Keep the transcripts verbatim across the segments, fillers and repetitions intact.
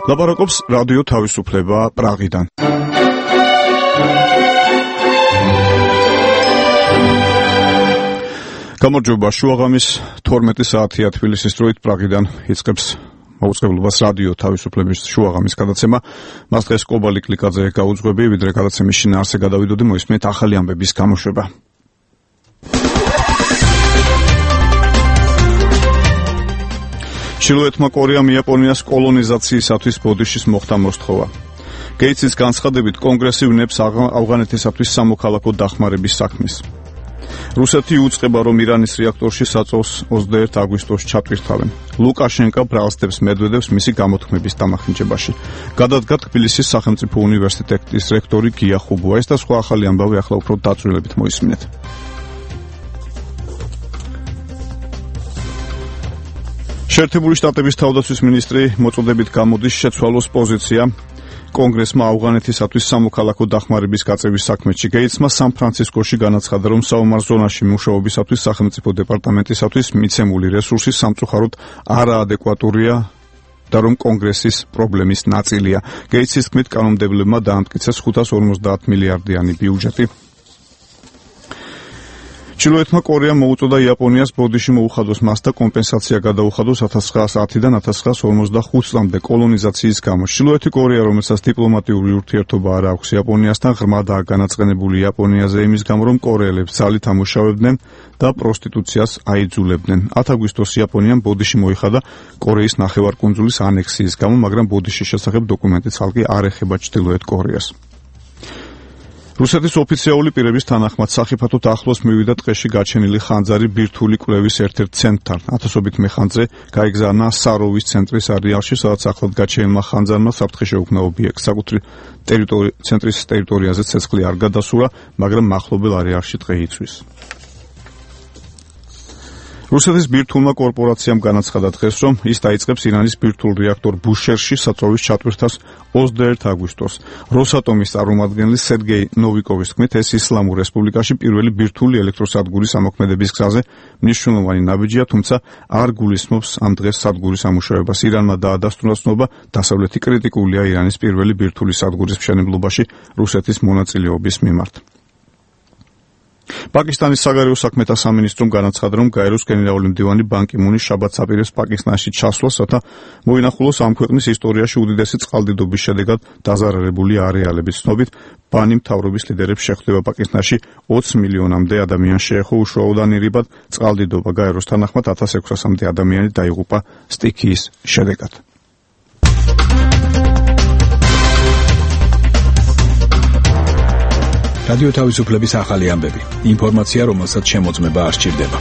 ლაპარაკობს რადიო თავისუფლება პრაღიდან. გამარჯობა, შუაღამის თორმეტი საათია თბილისის დროით პრაღიდან იწყებს მოუწყებლობას რადიო თავისუფლების შუაღამის გადაცემა. მას დღეს კობალი კლიკაძე გაუძღვები, ვიდრე გადაცემის შინაარსზე გადავიდოდი, მოისმენთ ახალი ამბების გამოშვება. ჩრდილოეთმა კორეამ იაპონიას კოლონიზაციისათვის ბოდიშის მოხდა მოსთხოვა. გეიცის განცხადებით კონგრესი ვნებს ავღანეთისათვის სამოქალაქო დახმარების საქმეს. რუსეთი უწყება, რომ ირანის რეაქტორში საწოლს ოცდაერთი აგვისტოს ჩატვირთავენ. ლუკაშენკა ბრალსდებს მედვედევს მისი გამოთქმების დამახინჯებაში. გადადგა თბილისის სახელმწიფო უნივერსიტეტის რექტორი გია ხუბუა. ეს და სხვა ახალი ამბავი ახლა უფრო დაწვრილებით მოისმინეთ. შეერთებული შტატების თავდაცვის მინისტრი მოწოდებით გამოდის შეცვალოს პოზიცია კონგრესმა ავღანეთისათვის სამოქალაქო დახმარების გაწევის საქმეში. გეიცმა სან-ფრანცისკოში განაცხადა, რომ საომარ ზონაში მუშაობისათვის სახელმწიფო დეპარტამენტისათვის მიცემული რესურსი სამწუხაროდ არაადეკვატურია და რომ კონგრესის პრობლემის ნაწილია. გეიცის თქმით, კანონმდებლებმა დაამტკიცეს ხუთას ორმოცდაათ მილიარდიანი ბიუჯეტი. ჩრდილოეთმა კორეამ მოუწოდა იაპონიას ბოდიში მოუხადოს მას და კომპენსაცია გადაუხადოს ათას ცხრაას ათიდან ათას ცხრაას ორმოცდახუთ წლამდე კოლონიზაციის გამო. ჩრდილოეთი კორეა, რომელსაც დიპლომატიური ურთიერთობა არ აქვს იაპონიასთან, ღრმადაა განაწყენებული იაპონიაზე იმის გამო, რომ კორეელებს ძალით ამუშავებდნენ და პროსტიტუციას აიძულებდნენ. ათი აგვისტოს იაპონიამ ბოდიში მოიხადა კორეის ნახევარკუნძულის ანექსიის გამო, მაგრამ ბოდიშის შესახებ დოკუმენტი ცალკე არ ეხება ჩრდილოეთ კორეას. რუსეთის ოფიციალური პირების თანახმად სახიფათოდ ახლოს მივიდა ტყეში გაჩენილი ხანძარი ბირთვული კვლევის ერთ-ერთ ცენტრთან. ათასობით მეხანძრე გაიგზავნა საროვის ცენტრის არეალში, სადაც ახლად გაჩენილმა ხანძარმა საფრთხე შეუქმნა ობიექტს. საკუთრი ცენტრის ტერიტორიაზე ცეცხლი არ გადასურა, მაგრამ მახლობელ არეალში ტყე იცვის. რუსეთის ბირთვულმა კორპორაციამ განაცხადა დღეს, რომ ის დაიწყებს ირანის ბირთვულ რეაქტორ ბუშერში საწვავის ჩატვირთვას ოცდაერთი აგვისტოს. როსატომის წარმომადგენელი სერგეი ნოვიკოვის თქმით, ეს ისლამურ რესპუბლიკაში პირველი ბირთვული ელექტროსადგურის ამოქმედების გზაზე მნიშვნელოვანი ნაბიჯია, თუმცა არ გულისხმობს ამ დღეს სადგურის ამუშავებას. ირანმა დაადასტურა ცნობა, დასავლეთი კრიტიკულია ირანის პირველი ბირთვული სადგურის მშენებლობაში რუსეთის მონაწილეობის მიმართ. პაკისტანის საგარეო საქმეთა სამინისტრომ განაცხადა, რომ გაეროს გენერალური მდივანი ბან კი მუნი შაბათს აპირებს პაკისტანში ჩასვლას, რათა მოინახულოს ამ ქვეყნის ისტორიაში უდიდესი წყალდიდობის შედეგად დაზარალებული არეალების. ცნობით, ბანი მთავრობის ლიდერებს შეხვდება პაკისტანში ოცი მილიონამდე ადამიანს შეეხო უშუალოდან ირიბად წყალდიდობა. გაეროს თანახმად ათას ექვსასამდე ადამიანი დაიღუპა სტიქიის შედეგად. რადიო თავისუფლების ახალი ამბები. ინფორმაცია, რომელსაც შემოწმება არ სჭირდება.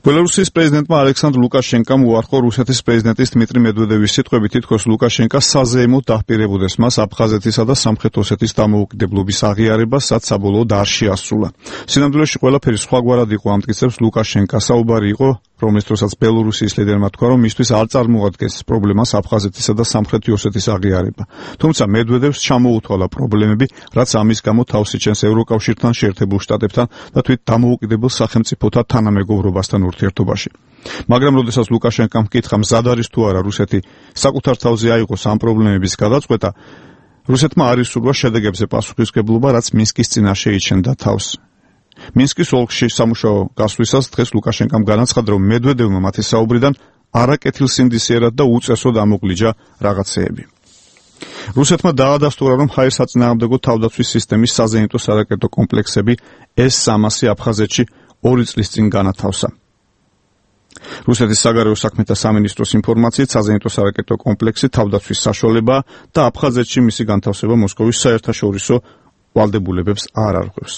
ბელარუსის პრეზიდენტმა ალექსანდრ ლუკაშენკამ უარყო რუსეთის პრეზიდენტის დმიტრი მედვედევის სიტყვები, თითქოს ლუკაშენკა საზეიმოდ დაჰპირებოდეს მას აფხაზეთისა და სამხრეთ ოსეთის დამოუკიდებლობის აღიარება, რაც საბოლოოდ არ შეასრულა. სინამდვილეში ყველაფერი სხვაგვარად იყო, ამტკიცებს ლუკაშენკა. საუბარი იყო, რომლის დროსაც ბელორუსიის ლიდერმა თქვა, რომ მისთვის არ წარმოადგენს პრობლემას აფხაზეთისა და სამხრეთი ოსეთის აღიარება. თუმცა მედვედევს ჩამოუთვალა პრობლემები, რაც ამის გამო თავს იჩენს ევროკავშირთან, შეერთებულ შტატებთან და თვით დამოუკიდებელ სახელმწიფოთა თანამეგობრობასთან ურთიერთობაში. მაგრამ როდესაც ლუკაშენკამ ჰკითხა, მზად არის თუ არა რუსეთი საკუთარ თავზე აიღოს ამ პრობლემების გადაწყვეტა, რუსეთმა არ ისურვა შედეგებზე პასუხისმგებლობა, რაც მინსკის წინაშე იჩენდა თავს. მინსკის ოლქში სამუშაო გასვლისას დღეს ლუკაშენკამ განაცხადა, რომ მედვედევმა მათი საუბრიდან არაკეთილსინდისიერად და უწესოდ ამოკლიჯა რაღაცეები. რუსეთმა დაადასტურა, რომ ჰაერსაწინააღმდეგო თავდაცვის სისტემის საზეიმტო სარაკეტო კომპლექსები ეს სამასი აფხაზეთში ორი წლის წინ განათავსა. რუსეთის საგარეო საქმეთა სამინისტროს ინფორმაციით, საზეიმტო სარაკეტო კომპლექსი თავდაცვის საშუალებაა და აფხაზეთში მისი განთავსება მოსკოვის საერთაშორისო ვალდებულებებს არ არღვევს.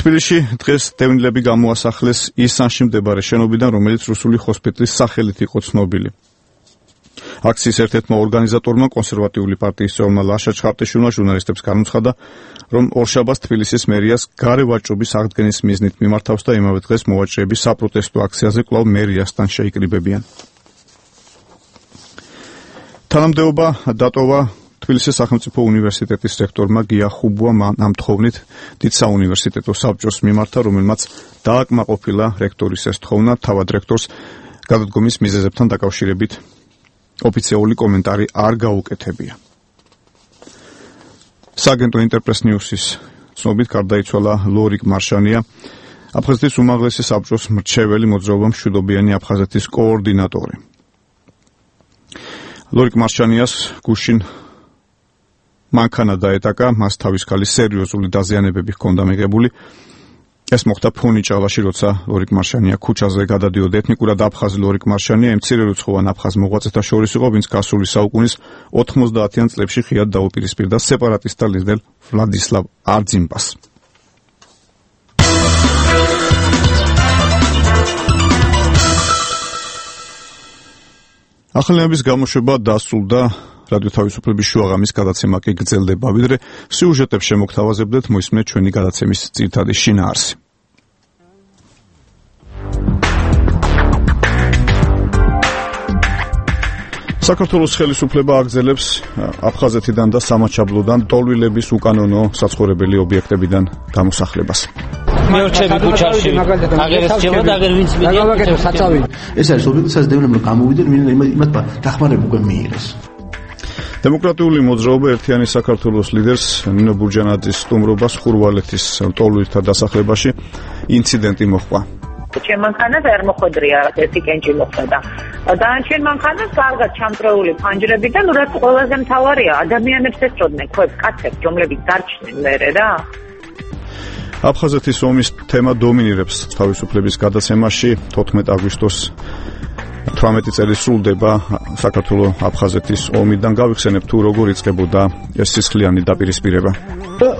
თბილისში დღეს დევნილები გამოასახლეს ისანში მდებარე შენობიდან, რომელიც რუსული ჰოსპიტალის სახელით იყო ცნობილი. აქციის ერთ-ერთმა ორგანიზატორმა, კონსერვატიული პარტიის წევრმა ლაშა ჩხარტიშვილმა ჟურნალისტებს განუცხადა, რომ ორშაბათს თბილისის მერიას გარე ვაჭრობის აღდგენის მიზნით მიმართავს და იმავე დღეს მოვაჭრეები საპროტესტო აქციაზე კვლავ მერიასთან შეიკრიბებიან. თანამდებობა დატოვა თბილისის სახელმწიფო უნივერსიტეტის რექტორმა გია ხუბუამ ამ თხოვნით დიდ საუნივერსიტეტო საბჭოს მიმართა, რომელმაც დააკმაყოფილა რექტორის ეს თხოვნა. თავად რექტორს გადადგომის მიზეზებთან დაკავშირებით ოფიციალური კომენტარი არ გაუკეთებია. სააგენტო ინტერპრეს ნიუსის ცნობით გარდაიცვალა ლორიკ მარშანია, აფხაზეთის უმაღლესი საბჭოს მრჩეველი მოძრაობა მშვიდობიანი აფხაზეთის კოორდინატორი. ლორიკ მარშანიას გუშინ მანქანა დაეტაკა, მას თავის ქალის სერიოზული დაზიანებები ჰქონდა მიღებული. ეს მოხდა ფონიჭალაში, როცა ლორიკ მარშანია ქუჩაზე გადადიოდა. ეთნიკურად აფხაზი ლორიკ მარშანია იმ მცირერიცხოვან აფხაზ მოღვაწეთა შორის იყო, ვინც გასული საუკუნის ოთხმოცდაათიან წლებში ხიად დაუპირისპირდა სეპარატისტთა ლიდერ ვლადისლავ არძიმბას. ახალების გამოშვება დასრულდა, რადიო თავისუფლების შუაღამის გადაცემა კი გრძელდება, ვიდრე სიუჟეტებს შემოგთავაზებდეთ, მოისმენთ ჩვენი გადაცემის ძირითადი შინაარსი. საქართველოს ხელისუფლება აგრძელებს აფხაზეთიდან და სამაჩაბლოდან ტოლვილების უკანონო საცხოვრებელი ობიექტებიდან გამოსახლებას. მეორჩები ქუჩაში აგერ ესწრება და აგერ ვინც მიდია საწავი. ეს არის ობიექტი, სადაც დევნებმა გამოვიდნენ, იმათ დახმარება უკვე მიიღეს. დემოკრატიული მოძრაობა ერთიანი საქართველოს ლიდერს ნინო ბურჯანაძის სტუმრობას ხურვალეთის ტოლვილთა დასახლებაში ინციდენტი მოჰყვა. ჩემ მანქანას არ მოხვედრია ერთი კენჭი მოხვდა. დანარჩენ მანქანას კარგად ჩამწრეული ფანჯრებიდან, რაც ყველაზე მთავარია, ადამიანებს ესწოდნენ ქვებს, კაცებს, რომლებიც დარჩნენ მერე რა. აფხაზეთის ომის თემა დომინირებს თავისუფლების გადაცემაში. თოთხმეტ აგვისტოს თვრამეტი წელი სრულდება საქართველოს აფხაზეთის ომიდან. გავიხსენებ თუ როგორ იწყებოდა ეს სისხლიანი დაპირისპირება.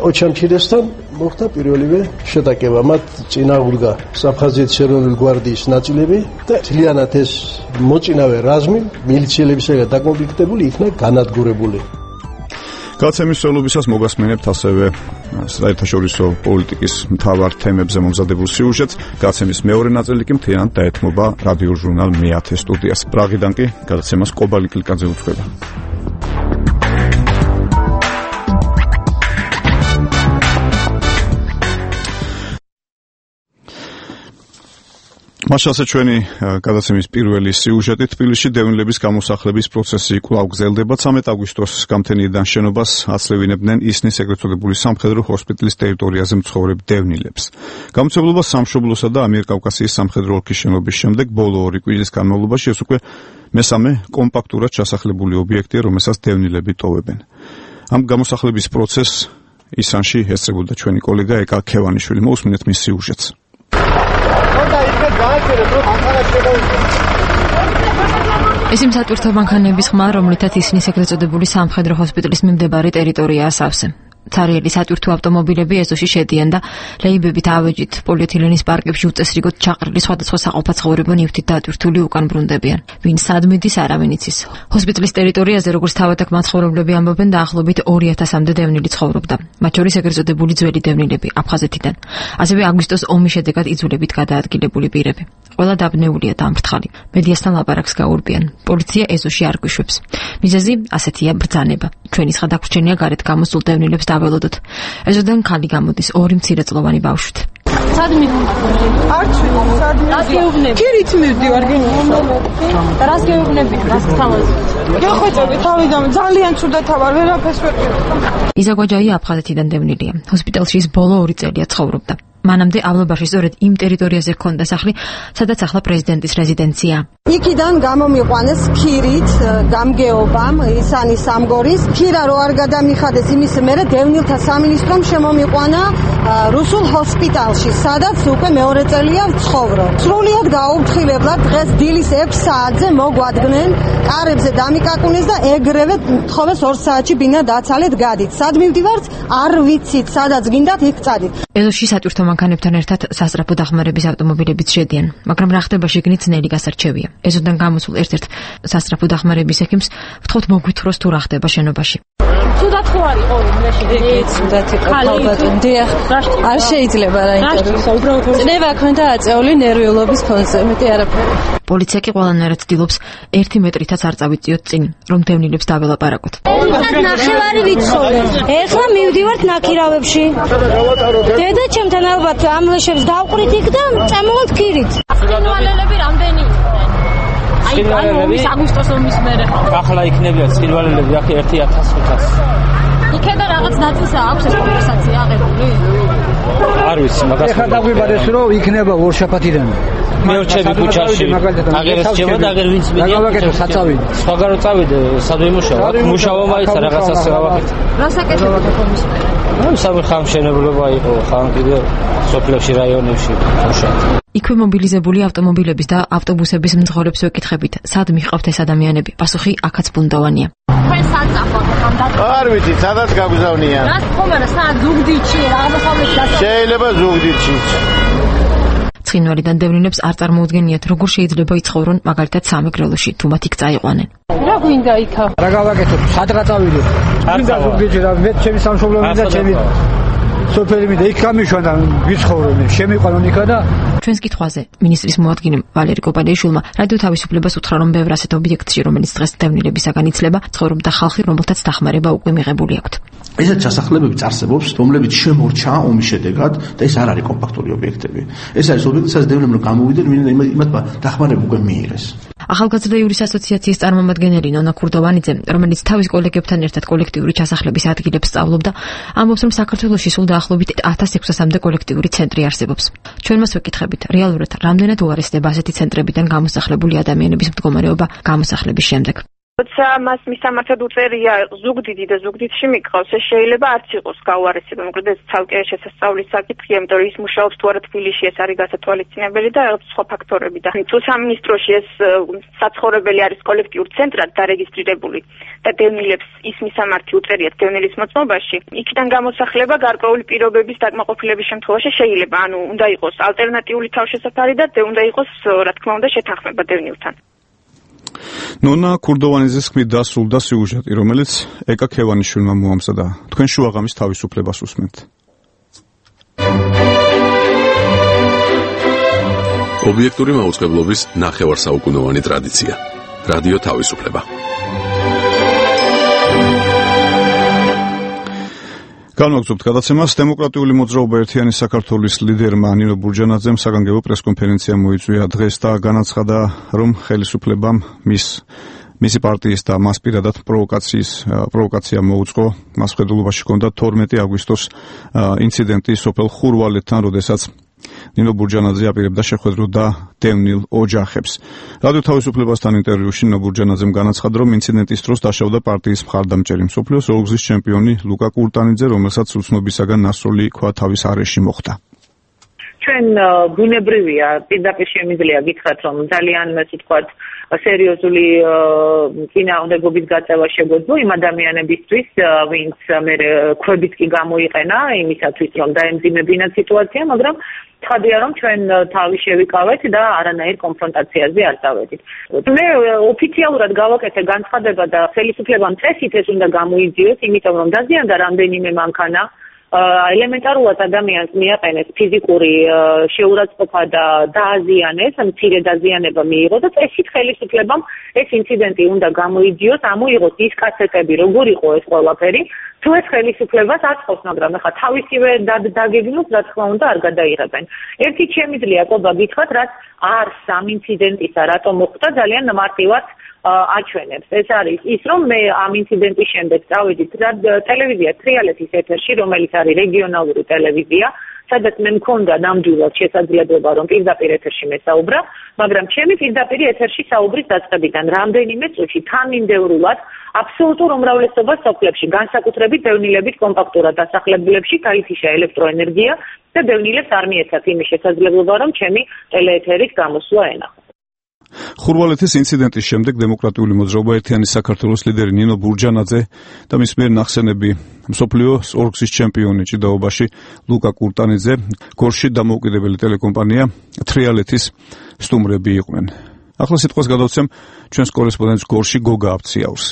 ოჩამჩირესთან მოხდა პირველივე შეტაკება. მათ წინააღმდა აფხაზეთის ეროვნული გვარდიის ნაწილები და ძალიანად ეს მოწინავე რაზმი მილიციელებისაგან დაკონფლიქტებული იქნა განადგურებული. გადაცემის სრულობისას მოგასმენებთ ასევე საერთაშორისო პოლიტიკის მთავარ თემებზე მომზადებულ სიუჟეტს. გადაცემის მეორე ნაწილი კი მთლიანად დაეთმობა რადიო ჟურნალ მეათე სტუდიას. პრაღიდან კი გადაცემას კობალი კლიკაძე უძღვება. მაშასე ჩვენი გადაცემის პირველი სიუჟეტი. თბილისში დევნილების გამოსახლების პროცესი კვლავ გრძელდება. ცამეტ აგვისტოს გამთენიიდან შენობას აცლევინებდნენ ისნის ეგრეთ წოდებული სამხედრო ჰოსპიტალის ტერიტორიაზე მცხოვრებ დევნილებს. გამოცემლობა სამშობლოსა და ამიერკავკასიის სამხედრო ოლქის შენობის შემდეგ ბოლო ორი კვირის განმავლობაში ეს უკვე მესამე კომპაქტურად ჩასახლებული ობიექტია, რომელსაც დევნილები ტოვებენ. ამ გამოსახლების პროცესს ისანში ესწრებოდა ჩვენი კოლეგა ეკა ქევანიშვილი. მოусმინეთ მის სიუჟეტს. ეს იმ სატვირთო მანქანების ხმა, რომლითაც ისნის ეგრეთ წოდებული სამხედრო ჰოსპიტალის მიმდებარე ტერიტორიაა სავსე. ცარიელი სატვირთო ავტომობილები ეზოში შედიან და ლეიბებით ავეჯით პოლიეთილენის პარკებში უწესრიგოდ ჩაყრილი სხვადასხვა საყოფაცხოვრებო ნივთით დატვირთული უკან ბრუნდებიან. ვინ სად მიდის, არავინ იცის. ჰოსპიტალის ტერიტორიაზე, როგორც თავად აქ მაცხოვრებლები ამბობენ, დაახლოებით ორი ათასამდე დევნილი ცხოვრობდა. მათ შორის ეგრეთ წოდებული ძველი დევნილები აფხაზეთიდან. ასევე აგვისტოს ომის შედეგად იძულებით გადაადგილებული პირები. ყველა დაბნეულია და ამფრთხალი. მედიასთან ლაპარაკს გაურბიან. პოლიცია ეზოში არ გვიშვებს. მიზეზი ასეთია ბრძანება. ჩვენი ხადაგვრჩენია გარეთ გამოსულ დევნილებს დაველოდოთ. ეზოდან ქალი გამოდის ორი მცირეწლოვანი ბავშვით. სად მივხვდი? არჩი, სად მივხვდი? ქირით მივდივარ გინდა. და რას გეუბნები? რას თავაზი? გეხვეწები თავიდან ძალიან ცუდად ავარ, ვერაფერს ვერ ვიყავ. იზაგვაჯაია აფხაზეთიდან დევნილია. ჰოსპიტალში ის ბოლო ორი წელია ცხოვრობდა. მანამდე ავლაბაში სწორედ იმ ტერიტორიაზე ჰქონდა სახლი, სადაც ახლა პრეზიდენტის რეზიდენცია. იქიდან გამომიყვანეს ქირით გამგეობამ ისანი სამგორის. ქირა რო არ გადამიხადეს იმის მერე დევნილთა სამინისტრომ შემომიყვანა რუსულ ჰოსპიტალში, სადაც უკვე მეორე წელია ვცხოვრობ. სრულიად გაუფრთხილებლად დღეს დილის ექვს საათზე მოგვადგნენ, კარებზე დამიკაკუნეს და ეგრევე თხოვეს ორ საათში ბინა დაცალეთ გადით. სად მივდივართ? არ ვიცით, სადაც გინდათ იქ წადით. ეზოში სატვირთო მანქანებთან ერთად სასწრაფო დახმარების ავტომობილებიც შედიან, მაგრამ რა ხდება შიგნით ძნელი გასარჩევია. ეზოდან გამოსულ ერთ-ერთ სასწრაფო დახმარების ექიმს ვთხოვთ მოგვითხროს თუ რა ხდება შენობაში. ცუდ ცუდად ხო არის ყოველში ცუდად იყო ალბათ დიახ არ შეიძლება რა ინტერესო წნევა ქონდა აწეული ნერვიულობის ფონზე მეტი არაფერი პოლიცია კი ყველანაირად ცდილობს ერთი მეტრითაც არ წავიწიოთ წინ რომ დევნილებს დაველაპარაკოთ ნახევარი ვიცხოვე ეხლა მივდივართ ნაკირავებში დედა ჩემთან ალბათ ამლაშებს დავყრით იქ და წამოვალთ ქირით სილვალელები რამდენი აი ანუ ომის აგვისტოს ომის მერე ახლა იქნებიან სილვალელები აქ ერთი ათას ხუთას იქედა რაღაც ნაწილსა აქვს ეს კონვერსაცია აღებული არ ვიცი მაგას ეხლა დაგვიბარეს რომ იქნება ორშაბათიდან მეორჩები ქუჩაში აგერ ესჭება და აგერ ვინც მიდიან გავაკეთე საწავიდე სხვაგარო წავიდე სად ვიმუშავა მუშაობა მაიცა რაღაცას გავაკეთე რასაკეთებთ ხომის ნუ სამხამ მშენებლობა იყო ხან კიდე სოფლებში რაიონებში მუშაობ იქვე მობილიზებული ავტომობილების და ავტობუსების მძღოლებს ვეკითხებით სად მიჰყავთ ეს ადამიანები პასუხი აქაც ბუნდოვანია თქვენ სად წახვალთ ამ დატოვა არ ვიცი სადაც გაგზავნიან რას ხომარა სად ზუგდიდში რა აღმოსავლეთში შეიძლება ზუგდიდში ცხინვალიდან დევნილებს არ წარმოუდგენიათ როგორ შეიძლება იცხოვრონ მაგალითად სამეგრელოში თუ მათ იქ წაიყვანენ რა გვინდა იქა რა გავაკეთებ სადღა წავიდე არ ზუგდიდში და მე ჩემი სამშობლო მინდა ჩემი სოფელი მინდა იქ გამიშვან და ვიცხოვრობ შემიყვანონ იქა და ჩვენს კითხვაზე მინისტრის მოადგილემ ვალერი კოპალეიშვილმა რადიო თავისუფლებას უთხრა რომ ბევრ ასეთ ობიექტში რომელიც დღეს დევნილებისაგან იცლება ცხოვრობდა ხალხი რომელთაც დახმარება უკვე მიღებული აქვთ ესეთ სასახლებები წარსებობს რომლებიც შემორჩა ომის შედეგად და ეს არ არის კომპაქტური ობიექტები ეს არის ობიექტი სადაც დევნილებმა გამოვიდნენ იმათ დახმარება უკვე მიიღეს ახალგაზრდა ევრის ასოციაციის წარმომადგენელი ნონა ქურდოვანიძე რომელიც თავის კოლეგებთან ერთად კოლექტიური ჩასახლების ადგილებს სწავლობდა ამბობს რომ საქართველოში სულ დაახლოებით ათას ექვსასამდე კოლექტიური ცენტრი არსებობს ჩვენ მას ვეკითხებით რეალურად რამდენად უარესდება ასეთი ცენტრებიდან გამოსახლებული ადამიანების მდგომარეობა გამოსახლების შემდეგ როცა მას მისამართად უწერია ზუგდიდი და ზუგდიდში მიყავს ეს შეიძლება არც იყოს გაუარესება მოკლედ ეს ცალკე შესასწავლის საკითხია იმიტომ რომ ის მუშაობს თუ არა თბილისში ეს არის გასათვალისწინებელი და რაღაც სხვა ფაქტორები და თუ სამინისტროში ეს საცხოვრებელი არის კოლექტიურ ცენტრად დარეგისტრირებული და დევნილებს ის მისამართი უწერიათ დევნილის მოწმობაში იქიდან გამოსახლება გარკვეული პირობების დაკმაყოფილების შემთხვევაში შეიძლება ანუ უნდა იყოს ალტერნატიული თავშესაფარი და უნდა იყოს რა თქმა უნდა შეთანხმება დევნილთან ნონა ქურდოვანიძის ხმით დასრულდა სიუჟეტი, რომელიც ეკა ქევანიშვილმა მოამზადა. თქვენ შუაღამის თავისუფლებას უსმენთ. ობიექტური მაუწყებლობის ნახევარსაუკუნოვანი ტრადიცია. რადიო თავისუფლება. განვაგრძობთ გადაცემას. დემოკრატიული მოძრაობა ერთიანი საქართველოს ლიდერმა ნინო ბურჯანაძემ საგანგებო პრესკონფერენცია მოიწვია დღეს და განაცხადა, რომ ხელისუფლებამ მის მისი პარტიის და მას პირადად პროვოკაციის პროვოკაცია მოუწყო. მას ხედულობაში ჰქონდა თორმეტი აგვისტოს ინციდენტი სოფელ ხურვალეთთან, როდესაც ნინო ბურჯანაძე აპირებდა შეხვედროდა დევნილ ოჯახებს. რადიო თავისუფლებასთან ინტერვიუში ნინო ბურჯანაძემ განაცხადა, რომ ინციდენტის დროს დაშავდა პარტიის მხარდამჭერი მსოფლიოს ორგზის ჩემპიონი ლუკა კურტანიძე, რომელსაც უცნობისაგან ნასროლი ქვა თავის არეში მოხვდა. ჩვენ ბუნებრივია პირდაპირ შემიძლია გითხრათ, რომ ძალიან ასე ვთქვათ სერიოზული წინააღმდეგობის გაწევა შეგვეძლო იმ ადამიანებისთვის, ვინც მე ქვებით კი გამოიყენა იმისათვის, რომ დაემძიმებინათ სიტუაცია, მაგრამ ცხადია, რომ ჩვენ თავი შევიკავეთ და არანაირ კონფრონტაციაზე არ დავედით. მე ოფიციალურად გავაკეთე განცხადება და ხელისუფლებამ წესით ეს უნდა გამოიძიოს, იმიტომ რომ დაზიანდა რამდენიმე მანქანა. ელემენტარულად ადამიანს მიაყენეს ფიზიკური შეურაცხყოფა და დააზიანეს, მცირე დაზიანება მიიღო და წესით ხელისუფლებამ ეს ინციდენტი უნდა გამოიძიოს, ამოიღოს ის კასეტები, როგორ იყო ეს ყველაფერი, თუ ეს ხელისუფლებას აწყობს, მაგრამ ახლა თავისივე დაგეგმოს, რა თქმა უნდა, არ გადაიღებენ. ერთით შემიძლია ყობა გითხრათ, რაც არს ამ ინციდენტისა, რატომ მოხდა, ძალიან მარტივად აჩვენებს. ეს არის ის, რომ მე ამ ინციდენტის შემდეგ წავედით ტელევიზია თრიალეთის ეთერში, რომელიც არის რეგიონალური ტელევიზია, სადაც მე მქონდა ნამდვილად შესაძლებლობა, რომ პირდაპირ ეთერში მესაუბრა, მაგრამ ჩემი პირდაპირ ეთერში საუბრის დაწყებიდან რამდენიმე წუთში თანმიმდევრულად აბსოლუტურ უმრავლესობას სოფლებში, განსაკუთრებით დევნილებით კომპაქტურად დასახლებლებში გაითიშა ელექტროენერგია და დევნილებს არ მიეცათ იმის შესაძლებლობა, რომ ჩემი ტელეეთერით გამოსვლა ენახო. ხურვალეთის ინციდენტის შემდეგ დემოკრატიული მოძრაობა ერთიანი საქართველოს ლიდერი ნინო ბურჯანაძე და მის მიერ ნახსენები მსოფლიოს ორგზის ჩემპიონი ჭიდაობაში ლუკა კურტანიძე გორში დამოუკიდებელი ტელეკომპანია თრიალეთის სტუმრები იყვნენ. ახლა სიტყვას გადავცემ ჩვენს კორესპონდენტს გორში გოგა აბციაურს.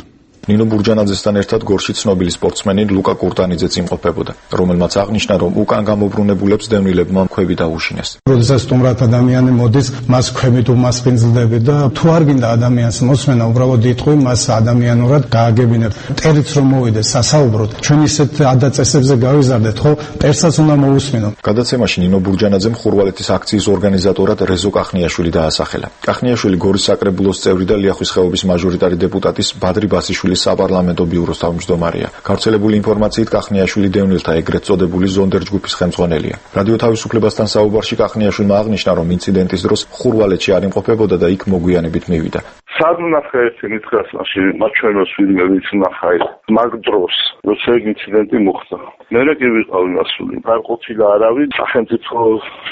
ნინო ბურჯანაძესთან ერთად გორში ცნობილი სპორტსმენი ლუკა კურტანიძეც იმყოფებოდა, რომელმაც აღნიშნა, რომ უკან გამობრუნებულებს დევნილებმა ქვები დაუშინეს. როდესაც სტუმრად ადამიანი მოდის, მას ქვებით უმასპინძლდები და თუ არ გინდა ადამიანს მოსმენა, უბრალოდ იტყვი მას ადამიანურად გააგებინებ. ტერიც რომ მოვიდეს სასაუბროდ, ჩვენ ისეთ ადაწესებზე გავიზარდეთ, ხო, ტერსაც უნდა მოусმინო. გადაცემაში ნინო ბურჯანაძემ ხურვალეთის აქციის ორგანიზატორად რეზო კახნიაშვილი დაასახელა. კახნიაშვილი გორის საკრებულოს წევრი და ლიახვის ხეობის მაჟორიტარი დეპუტატის ბადრი ბასიშვილის საპარლამენტო ბიუროს თავმჯდომარეა. გავრცელებული ინფორმაციით კახნიაშვილი დევნილთა ეგრეთ წოდებული ზონდერ ჯგუფის ხელმძღვანელია. რადიო თავისუფლებასთან საუბარში კახნიაშვილმა აღნიშნა, რომ ინციდენტის დროს ხურვალეთში არ იმყოფებოდა და იქ მოგვიანებით მივიდა. სად ნახე ერთი მითხრას მაშინ მათ ჩვენოს ვინმე ნახა ეს მაგ დროს როცა ეგ ინციდენტი მოხდა მე რა კი ვიყავი მასული არ ყოფილა არავინ სახელმწიფო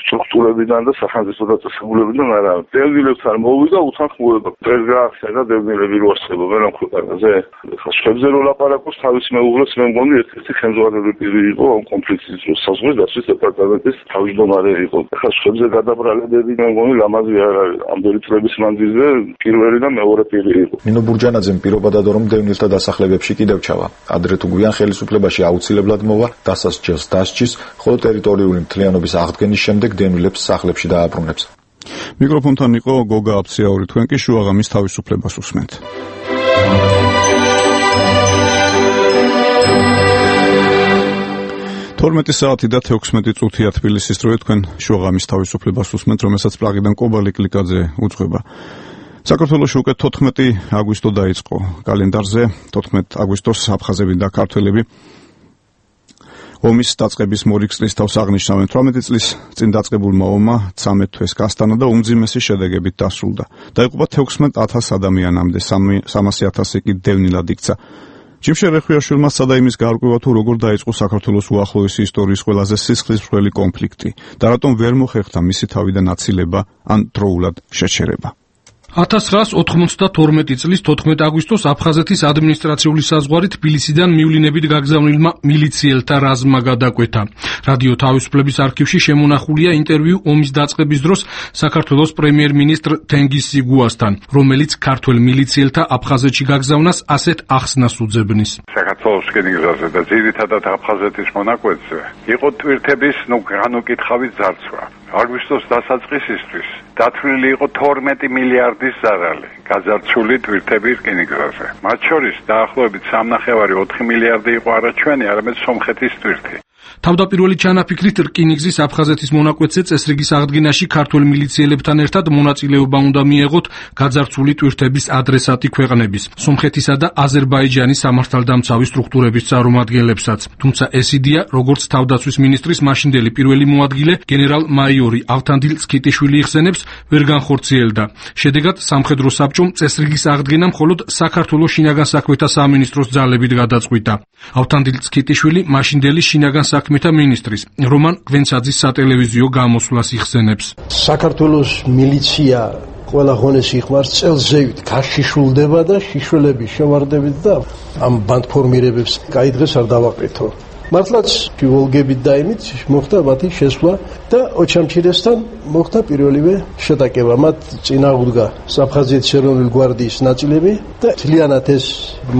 სტრუქტურებიდან და სახელმწიფო დაწესებულებიდან არავინ დევნილებთან მოვიდა უთანხმოება დღეს გაახსენა დევნილები რო არსებობენ ამ ქვეყანაზე ხა შეხებზე რო ლაპარაკობს თავის მეუღლეს მე მგონი ერთ-ერთი ხელმძღვანელი პირი იყო ამ კონფლიქტის დროს საზღვრის დაცვის დეპარტამენტის თავმჯდომარე იყო ხა შეხებზე გადაბრალებები მე მგონი ლამაზი არ არის ამ დერიტრების მანძილზე პირველი და მეორე პირი იყო. ნინო ბურჯანაძემ პირობა დადო, რომ დევნილთა დასახლებებში კიდევ ჩავა. ადრე თუ გვიან ხელისუფლებაში აუცილებლად მოვა, დასასჯელს დასჯის, ხოლო ტერიტორიული მთლიანობის აღდგენის შემდეგ დევნილებს სახლებში დააბრუნებს. მიკროფონთან იყო გოგა აფციაური, თქვენ კი შუაღამის თავისუფლებას უსმენთ. თორმეტი საათი და თექვსმეტი წუთია თბილისის დროით, თქვენ შუაღამის თავისუფლებას უსმენთ, რომელსაც პრაღიდან კობალი კლიკაძე უძღვება. საქართველოში უკვე თოთხმეტი აგვისტო დაიწყო კალენდარზე. თოთხმეტი აგვისტოს აფხაზები და ქართველები ომის დაწყების მორიგწლის თავს აღნიშნავენ. თვრამეტი წლის წინ დაწყებულმა ომმა ცამეტ თვეს გასტანა და უმძიმესი შედეგებით დასრულდა. დაიღუპა თექვსმეტ ათას ადამიანამდე, სამასი ათასი კი დევნილად იქცა. ჯიმშე რეხვიაშვილმა სცადა იმის გაარკვევა, თუ როგორ დაიწყო საქართველოს უახლოესი ისტორიის ყველაზე სისხლისმღვრელი კონფლიქტი და რატომ ვერ მოხერხდა მისი თავიდან აცილება ან დროულად შეჩერება. ათას ცხრაას ოთხმოცდათორმეტი წლის თოთხმეტი აგვისტოს აფხაზეთის ადმინისტრაციული საზღვარი თბილისიდან მივლინებით გაგზავნილმა მილიციელთა რაზმმა გადაკვეთა. რადიო თავისუფლების არქივში შემონახულია ინტერვიუ ომის დაწყების დროს საქართველოს პრემიერ-მინისტრ თენგიზ სიგუასთან, რომელიც ქართველ მილიციელთა აფხაზეთში გაგზავნას ასეთ ახსნას უძებნის. საქართველოს რკინიგზაზე და ძირითადად აფხაზეთის მონაკვეთზე იყო ტვირთების ნუ განუკითხავით ძარცვა. აგვისტოს დასაწყისისთვის დათვლილი იყო თორმეტი მილიარდის ზარალი გაძარცვული ტვირთები რკინიგზაზე. მათ შორის დაახლოებით სამნახევარი ოთხი მილიარდი იყო არა ჩვენი, არამედ სომხეთის ტვირთი. თავდაპირველი ჩანაფიქრით რკინიგზის აფხაზეთის მონაკვეთზე წესრიგის აღდგენაში ქართველ მილიციელებთან ერთად მონაწილეობა უნდა მიეღოთ გაძარცვული ტვირთების ადრესატი ქვეყნების, სომხეთისა და აზერბაიჯანის სამართალდამცავი სტრუქტურების წარმომადგენლებსაც. თუმცა ეს იდეა, როგორც თავდაცვის მინისტრის მაშინდელი პირველი მოადგილე გენერალ-მაიორი ავთანდილ წქიტიშვილი იხსენებს, ვერ განხორციელდა. შედეგად სამხედრო საბჭომ წესრიგის აღდგენა მხოლოდ საქართველოს შინაგან საქმეთა სამინისტროს ძალებით გადაწყვიტა. ავთანდილ წქიტიშვილი მაშინდელი შინაგან საქმეთა მინისტრის რომან გვენცაძის სატელევიზიო გამოსვლას იხსენებს. საქართველოს მილიცია ყველა ღონეს იხმარს წელზევით გაშიშულდება და შიშველების შევარდებით და ამ ბანდფორმირებებს კაი დღეს არ დავაყრითო. მართლაც ვოლგებით და იმით მოხდა მათი შესვლა და ოჩამჩირესთან მოხდა პირველივე შეტაკება. მათ წინააღმდა საფხაზეთის ეროვნული გვარდიის ნაწილები და მთლიანად ეს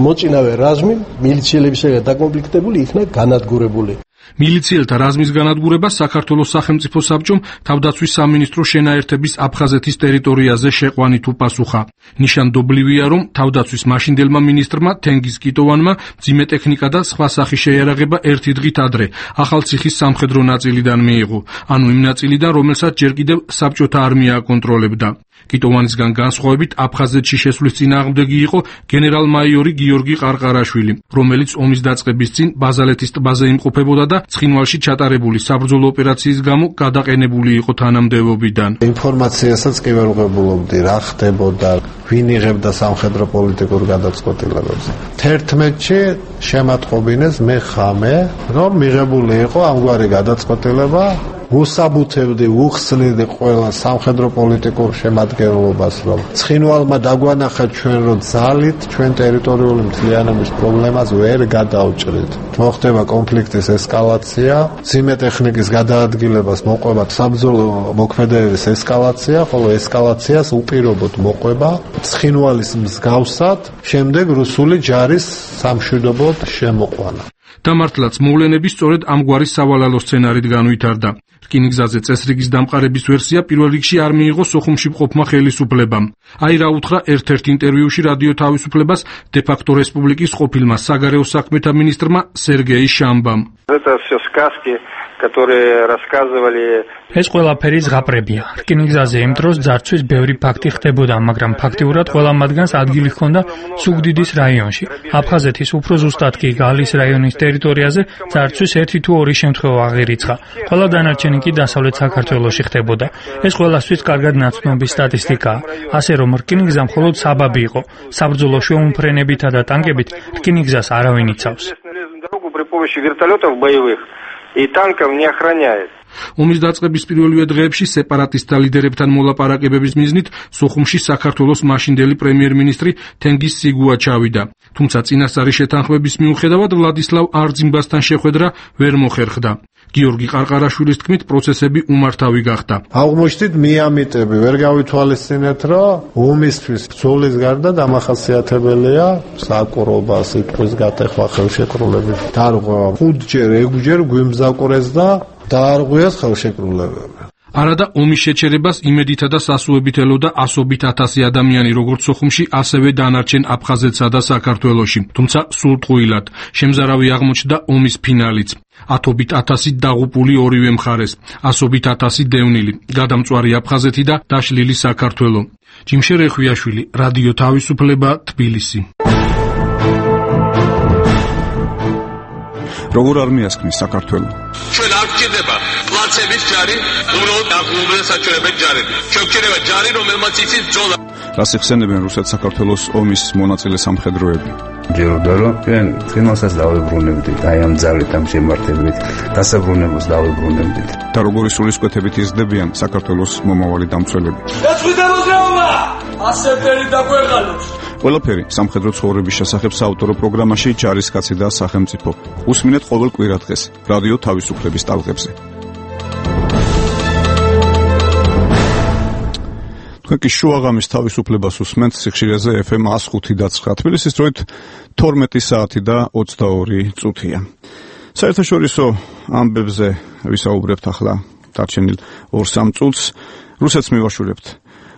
მოწინავე რაზმი მილიციელებისაგან დაკონფლიქტებული იქნა განადგურებული. მილიციელთა რაზმის განადგურება საქართველოს სახელმწიფო საბჭომ თავდაცვის სამინისტროს შენაერთების აფხაზეთის ტერიტორიაზე შეყვანით უპასუხა. ნიშანდობლივია, რომ თავდაცვის მაშინდელმა მინისტრმა თენგიზ კიტოვანმა მძიმე ტექნიკა და სხვა სახის შეიარაღება ერთი დღით ადრე ახალციხის სამხედრო ნაწილიდან მიიღო, ანუ იმ ნაწილიდან, რომელსაც ჯერ კიდევ საბჭოთა არმია აკონტროლებდა. კიტოვანისგან განსხვავებით აფხაზეთში შესვლის წინააღმდეგი იყო გენერალ-მაიორი გიორგი ყარყარაშვილი, რომელიც ომის დაწყების წინ ბაზალეთის ტბაზე იმყოფებოდა და ცხინვალში ჩატარებული საბრძოლო ოპერაციის გამო გადაყენებული იყო თანამდებობიდან. ინფორმაციასაც კი ვერ ვღებულობდი, რა ხდებოდა, ვინ იღებდა სამხედრო პოლიტიკურ გადაწყვეტილებებს. თერთმეტში შემატყობინეს მე ხამე, რომ მიღებული იყო ამგვარი გადაწყვეტილება ვუსაბუთებდი, ვუხსნიდი ყველა სამხედრო პოლიტიკურ შემადგენლობას, რომ ცხინვალმა დაგვანახა ჩვენ რომ ძალით ჩვენ ტერიტორიული მთლიანობის პრობლემას ვერ გადაუჭრით. მოხდება კონფლიქტის ესკალაცია, ძიმე ტექნიკის გადაადგილებას მოყვება საბრძოლო მოქმედებების ესკალაცია, ხოლო ესკალაციას უპირობოდ მოყვება ცხინვალის მსგავსად შემდეგ რუსული ჯარის სამშვიდობოდ შემოყვანა. დამართლაც მოვლენები სწორედ ამგვარი სავალალო სცენარით განვითარდა. რკინიგზაზე წესრიგის დამყარების ვერსია პირველ რიგში არ მიიღო სოხუმში მყოფმა ხელისუფლებამ. აი რა უთხრა ერთ-ერთ ინტერვიუში რადიო თავისუფლებას დე-ფაქტო რესპუბლიკის ყოფილმა საგარეო საქმეთა მინისტრმა სერგეი შამბამ. Это все сказки, которые рассказывали. ეს ყველაფერი ზღაპრებია. რკინიგზაზე იმ დროს ძარცვის ბევრი ფაქტი ხდებოდა, მაგრამ ფაქტიურად ყველა მათგანს ადგილი ჰქონდა სუგდიდის რაიონში. აფხაზეთის უფრო ზუსტად კი გალის რაიონის ტერიტორიაზე ძარცვის ერთი თუ ორი შემთხვევა აღირიცხა. ყველა დანარჩენი კი დასავლეთ საქართველოში ხდებოდა. ეს ყველასთვის კარგად ნაცნობი სტატისტიკაა. ასე რომ რკინიგზა მხოლოდ საბაბი იყო. საბრძოლო შეუმფრენებითა და ტანკებით რკინიგზას არავინ იცავს. При помощи вертолетов боевых и танков не охраняет. ომის დაწყების პირველივე დღეებში სეპარატისტთა ლიდერებთან მოლაპარაკებების მიზნით სოხუმში საქართველოს მაშინდელი პრემიერ-მინისტრი თენგიზ სიგუა ჩავიდა. თუმცა წინასწარი შეთანხმების მიუხედავად ვლადისლავ არძიმბასთან შეხვედრა ვერ მოხერხდა. გიორგი ყარყარაშვილის თქმით პროცესები უმართავი გახდა. აღმოჩნდით მიამიტები, ვერ გავითვალისწინეთ, რომ ომისთვის ბრძოლის გარდა დამახასიათებელია საკურობა, სიტყვის გატეხვა, ხელშეკრულების დარღვევა. ხუთჯერ, ექვსჯერ გვიმგზავრეს და დაარღვიეს ხელშეკრულებები. არადა ომის შეჩერებას იმედითა და სასუებით ელოდა ასობით ათასი ადამიანი როგორც სოხუმში, ასევე დანარჩენ აფხაზეთსა და საქართველოში. თუმცა სულტყუილად შემზარავი აღმოჩნდა ომის ფინალიც. ათობით ათასი დაღუპული ორივე მხარეს, ასობით ათასი დევნილი, გადამწვარი აფხაზეთი და დაშლილი საქართველო. ჯიმშე რეხვიაშვილი, რადიო თავისუფლება, თბილისი. როგორ არ მიასკნის საქართველო? ჩვენ არ გჭირდება პლაცების ჯარი, უბრალოდ დაღუპულებს საჭიროებენ ჯარები. ჩვენ გჭირდება ჯარი, რომელმაც იცის ბრძოლა. რას იხსენებენ რუსეთ-საქართველოს ომის მონაწილე სამხედროები? ჯეროდა რომ ჩვენ წინასაც დავებრუნებდით, აი ამ ძალით ამ შემართებით, დასაბრუნებულს დავებრუნებდით. და როგორი სულისკვეთებით იზრდებიან საქართველოს მომავალი დამცველები? ეცვიდა მოძრაობა! ასეთერი დაგვეღალოს. ყველაფერი სამხედრო ცხოვრების შესახებ საავტორო პროგრამაში ჯარისკაცი და სახელმწიფო. უსმინეთ ყოველ კვირადღეს რადიო თავისუფლების ტალღებზე. თქვენ კი შუაღამის თავისუფლებას უსმენთ სიხშირეზე ეფ ემ ას ხუთი და ცხრა. თბილისის დროით თორმეტი საათი და ოცდაორი წუთია. საერთაშორისო ამბებზე ვისაუბრებთ ახლა დარჩენილ ორ სამ წუთს. რუსეთს მივაშურებთ.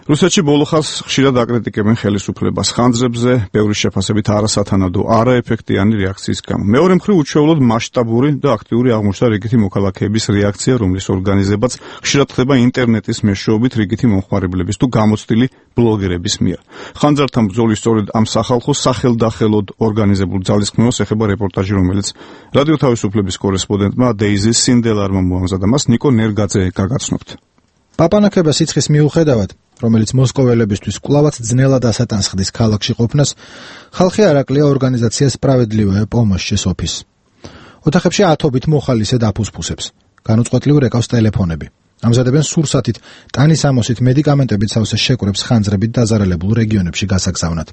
რუსეთში ბოლო ხანს ხშირად აკრიტიკებენ ხელისუფლებას ხანძრებზე, ბევრი შეფასებით არასათანადო, არაეფექტიანი რეაქციის გამო. მეორე მხრივ უჩვეულოდ მასშტაბური და აქტიური აღმოჩნდა რიგითი მოქალაქეების რეაქცია, რომლის ორგანიზებაც ხშირად ხდება ინტერნეტის მეშვეობით რიგითი მომხმარებლების თუ გამოცდილი ბლოგერების მიერ. ხანძართან ბრძოლის სწორედ ამ სახალხო სახელდახელოდ ორგანიზებულ ძალისხმევას ეხება რეპორტაჟი, რომელიც რადიო თავისუფლების კორესპონდენტმა დეიზი სინდელარმა მოამზადა. მას ნიკო ნერგაძე გაგაცნობთ. პაპანაკება სიცხის მიუხედავად, რომელიც მოსკოველებისთვის კვლავაც ძნელად ასატანსხდის ქალაქში ყოფნას, ხალხი არაკლია ორგანიზაცია სპრავედლივая помощь ოფისს. ოთახებში ათობით მოხალისე დაფუსფუსებს. განუწყვეტლივ რეკავს ტელეფონები. ამზადებენ სურსათით, ტანის ამოსით მედიკამენტებით სავსე შეკვრებს ხანძრებით დაზარალებულ რეგიონებში გასაგზავნად.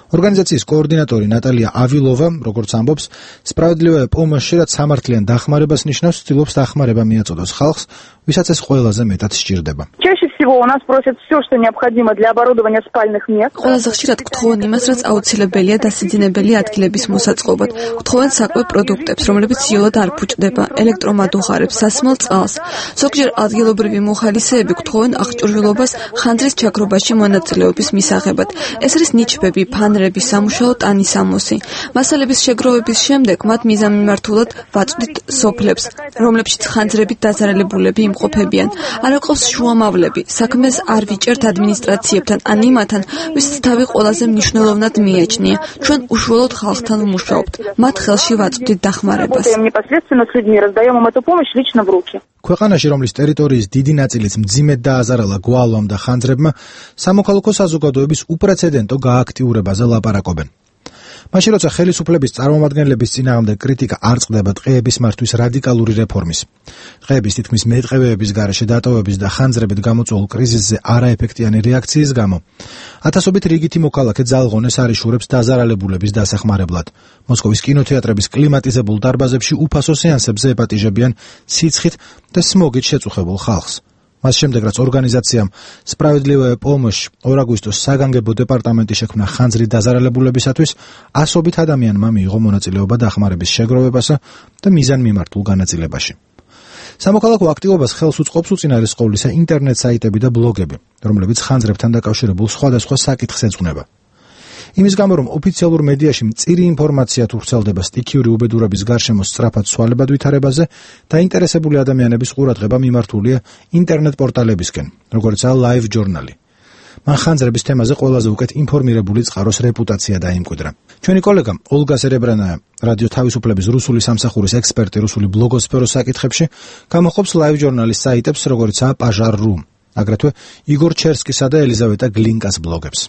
ორგანიზაციის კოორდინატორი ნატალია ავილოვა, როგორც ამბობს, სპრავედლივая помощь რაც სამართლიან დახმარებას ნიშნავს, ცდილობს დახმარება მიაწოდოს ხალხს, ვისაც ეს ყველაზე მეტად სჭირდება. Чаще всего у нас просят все, что необходимо для оборудования спальных мест. ყველაზე ხშირად გთხოვენ იმას, რაც აუცილებელია დასიძინებელი ადგილების მოსაწყობად. გთხოვენ საკვებ პროდუქტებს, რომლებიც იოლად არ ფუჭდება, ელექტრომადუხარებს, სასმელ წყალს. ზოგჯერ ადგილობრივი მოხალისეები გთხოვენ აღჭურვილობას ხანძრის ჩაქრობაში მონაწილეობის მისაღებად. ეს არის ნიჩბები, ფანრები, სამუშაო ტანის ამოსი. მასალების შეგროვების შემდეგ მათ მიზანმიმართულად ვაწვდით სოფლებს, რომლებშიც ხანძრებით დაზარალებულები იმყოფებიან. არ აყავს შუამავლები. საქმეს არ ვიჭერთ ადმინისტრაციებთან ან იმათთან, ვისაც თავი ყველაზე მნიშვნელოვნად მიაჩნია. ჩვენ უშუალოდ ხალხთან ვმუშაობთ. მათ ხელში ვაწვდით დახმარებას. ქვეყანაში, რომლის ტერიტორიის დიდი ნაწილიც მძიმედ დააზარალა გვალვამ და ხანძრებმა, სამოქალაქო საზოგადოების უპრეცედენტო გააქტიურებაზე ლაპარაკობენ. მაშინ როცა ხელისუფლების წარმომადგენლების წინააღმდეგ კრიტიკა არ წყდება ტყეების მართვის რადიკალური რეფორმის, ტყეების თითქმის მეტყევეების გარეშე დატოვების და ხანძრებით გამოწვეულ კრიზისზე არაეფექტიანი რეაქციის გამო, ათასობით რიგითი მოქალაქე ძალღონეს არიშურებს დაზარალებულების დასახმარებლად. მოსკოვის კინოთეატრების კლიმატიზებულ დარბაზებში უფასო სეანსებზე ეპატიჟებიან სიცხით და სმოგით შეწუხებულ ხალხს. მას შემდეგ, რაც ორგანიზაციამ სპრავედლივая помощь ორ აგვისტოს საგანგებო დეპარტამენტი შექმნა ხანძრით დაზარალებულებისათვის, ასობით ადამიანმა მიიღო მონაწილეობა დახმარების შეგროვებასა და მიზანმიმართულ განაწილებაში. სამოქალაქო აქტივობას ხელს უწყობს უწინარესყოვლისა ინტერნეტ საიტები და ბლოგები, რომლებიც ხანძრებთან დაკავშირებულ სხვადასხვა საკითხს ეძღვნება. იმის გამო, რომ ოფიციალურ მედიაში მწირი ინფორმაცია თუ ვრცელდება სტიქიური უბედურების გარშემო სწრაფად სვალებად ვითარებაზე, დაინტერესებული ადამიანების ყურადღება მიმართულია ინტერნეტ პორტალებისკენ, როგორიცაა Live Journal. მან ხანძრების თემაზე ყველაზე უკეთ ინფორმირებული წყაროს რეპუტაცია დაიმკვიდრა. ჩვენი კოლეგა ოლგა სერებრანაია, რადიო თავისუფლების რუსული სამსახურის ექსპერტი რუსული ბლოგოსფეროს საკითხებში, გამოხობს Live Journal-ის საიტებს, როგორიცაა Pajar.ru, აგრეთვე იგორ ჩერსკისა და ელიზავეტა გლინკას ბლოგებს.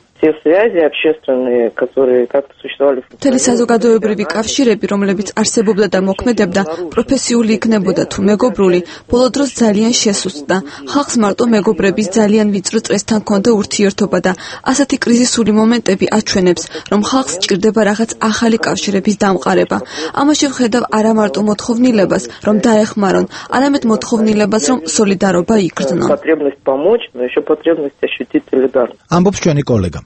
მთელი საზოგადოებრივი კავშირები, რომლებიც არსებობდა და მოქმედებდა, პროფესიული იქნებოდა თუ მეგობრული, ბოლო დროს ძალიან შესუსტდა. ხალხს მარტო მეგობრების ძალიან ვიწრო წრესთან ჰქონდა ურთიერთობა და ასეთი კრიზისული მომენტები აჩვენებს, რომ ხალხს სჭირდება რაღაც ახალი კავშირების დამყარება. ამაში ვხედავ არა მარტო მოთხოვნილებას, რომ დაეხმარონ, არამედ მოთხოვნილებას, რომ სოლიდარობა იგრძნონ. ამბობს ჩვენი კოლეგა.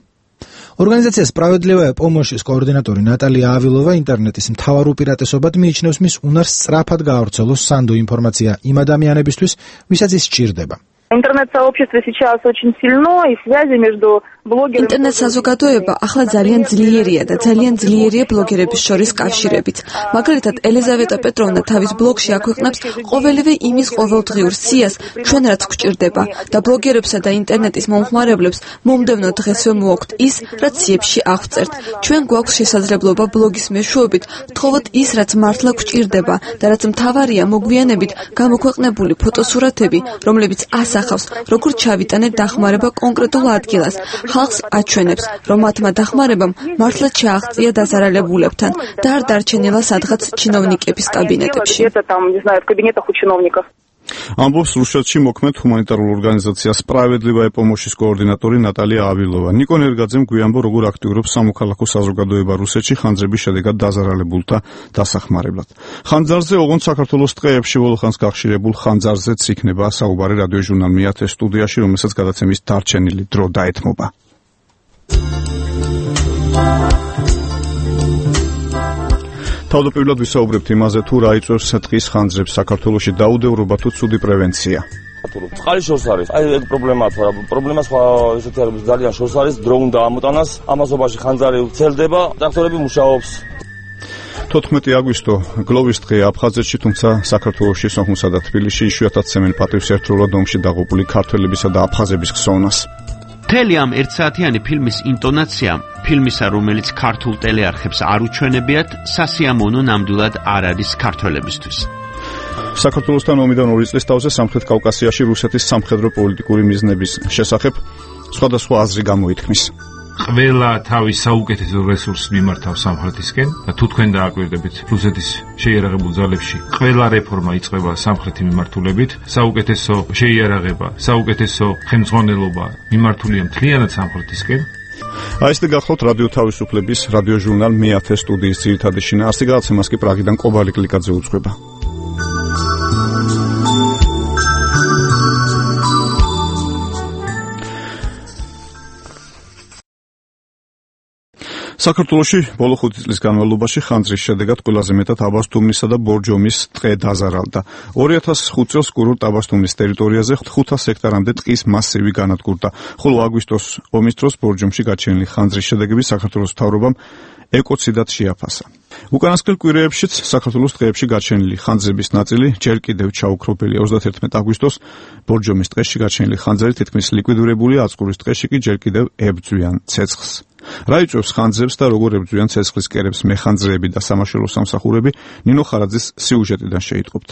ორგანიზაცია სპრავედლივая помощь-ის კოორდინატორი ნატალია ავილოვა ინტერნეტის მთავარ უპირატესობად მიიჩნევს მის უნარს სწრაფად გაავრცელოს სანდო ინფორმაცია იმ ადამიანებისთვის, ვისაც ის სჭირდება. Интернет-сообщество сейчас очень сильно, и связи между блогерами... ინტერნეტ-საზოგადოება ახლა ძალიან ძლიერია და ძალიან ძლიერია ბლოგერების შორის კავშირებით. მაგალითად, ელიზავეტა პეტროვნა თავის ბლოგში აქვეყნებს ყოველივე იმის ყოველდღიურ სიას, ჩვენ რაც გვჭირდება და ბლოგერებსა და ინტერნეტის მომხმარებლებს მომდევნო დღესვე მოაქვთ ის, რაც სიებში აღვწერთ. ჩვენ გვაქვს შესაძლებლობა ბლოგის მეშვეობით ვთხოვოთ ის, რაც მართლა გვჭირდება და რაც მთავარია მოგვიანებით გამოქვეყნებული ფოტოსურათები, რომლებიც ასახავს, როგორ ჩავიტანეთ დახმარება კონკრეტულ ადგილას. ხალხს აჩვენებს, რომ მათმა დახმარებამ მართლა ჩააღწია დაზარალებულებთან და არ დარჩენილა სადღაც ჩინოვნიკების კაბინეტებში. ამბობს რუსეთში მოქმედ ჰუმანიტარულ ორგანიზაცია სპრავედლივая помощь-ის კოორდინატორი ნატალია ავილოვა. ნიკო ნერგაძემ გვიამბო, როგორ აქტიურობს სამოქალაქო საზოგადოება რუსეთში ხანძრების შედეგად დაზარალებულთა დასახმარებლად. ხანძარზე, ოღონდ საქართველოს ტყეებში ბოლოხანს გახშირებულ ხანძარზეც იქნება საუბარი რადიო ჟურნალ მეათე სტუდიაში, რომელსაც გადაცემის დარჩენილი დრო დაეთმობა. თავდაპირველად ვისაუბრებთ იმაზე, თუ რა იწვევს ტყის ხანძრებს საქართველოში დაუდევრობა თუ ცუდი პრევენცია. წყალის შორს არის. აი ეგ პრობლემაა, თორე პრობლემა სხვა ესეთი არის, ძალიან შორს არის, დრო უნდა ამოტანას, ამასობაში ხანძარი ვრცელდება, ტრაქტორები მუშაობს. თოთხმეტი აგვისტო გლოვის დღეა აფხაზეთში, თუმცა საქართველოში, სოხუმსა და თბილისში იშვიათად ცემენ პატივს ერთდროულად ომში დაღუპული ქართველებისა და აფხაზების ხსოვნას. მთელი ამ ერთსაათიანი ფილმის ინტონაცია, ფილმისა, რომელიც ქართულ ტელეარხებს არ უჩვენებიათ, სასიამოვნო ნამდვილად არ არის ქართველებისთვის. საქართველოსთან ომიდან ორი წლის თავზე სამხრეთ კავკასიაში რუსეთის სამხედრო პოლიტიკური მიზნების შესახებ სხვადასხვა აზრი გამოითქმის. ყველა თავის საუკეთესო რესურსს მიმართავს სამხრეთისკენ და თუ თქვენ დააკვირდებით რუსეთის შეიარაღებულ ძალებში ყველა რეფორმა იწყება სამხრეთი მიმართულებით, საუკეთესო შეიარაღება, საუკეთესო ხელმძღვანელობა მიმართულია მთლიანად სამხრეთისკენ. აი ეს გახლავთ რადიო თავისუფლების რადიო ჟურნალ მეათე სტუდიის ძირითადი შინაარსი, გადაცემას კი პრაღიდან კობალი კლიკაძე უძღვება. საქართველოში ბოლო ხუთი წლის განმავლობაში ხანძრის შედეგად ყველაზე მეტად აბასთუმნისა და ბორჯომის ტყე დაზარალდა. ორი ათას ხუთ წელს კურორტ აბასთუმნის ტერიტორიაზე ხუთას ჰექტარამდე ტყის მასივი განადგურდა, ხოლო აგვისტოს ომის დროს ბორჯომში გაჩენილი ხანძრის შედეგები საქართველოს მთავრობამ ეკოციდად შეაფასა. უკანასკნელ კვირეებშიც საქართველოს ტყეებში გაჩენილი ხანძრების ნაწილი ჯერ კიდევ ჩაუქრობელია. ოცდათერთმეტი აგვისტოს ბორჯომის ტყეში გაჩენილი ხანძრი თითქმის ლიკვიდირებულია, აწყურის ტყეში კი ჯერ კიდევ ებძვიან ცეცხლს. რა იწვევს ხანძრებს და როგორ ებძვიან ცეცხლის კერებს მეხანძრეები და სამაშველო სამსახურები, ნინო ხარაძის სიუჟეტიდან შეიტყობთ.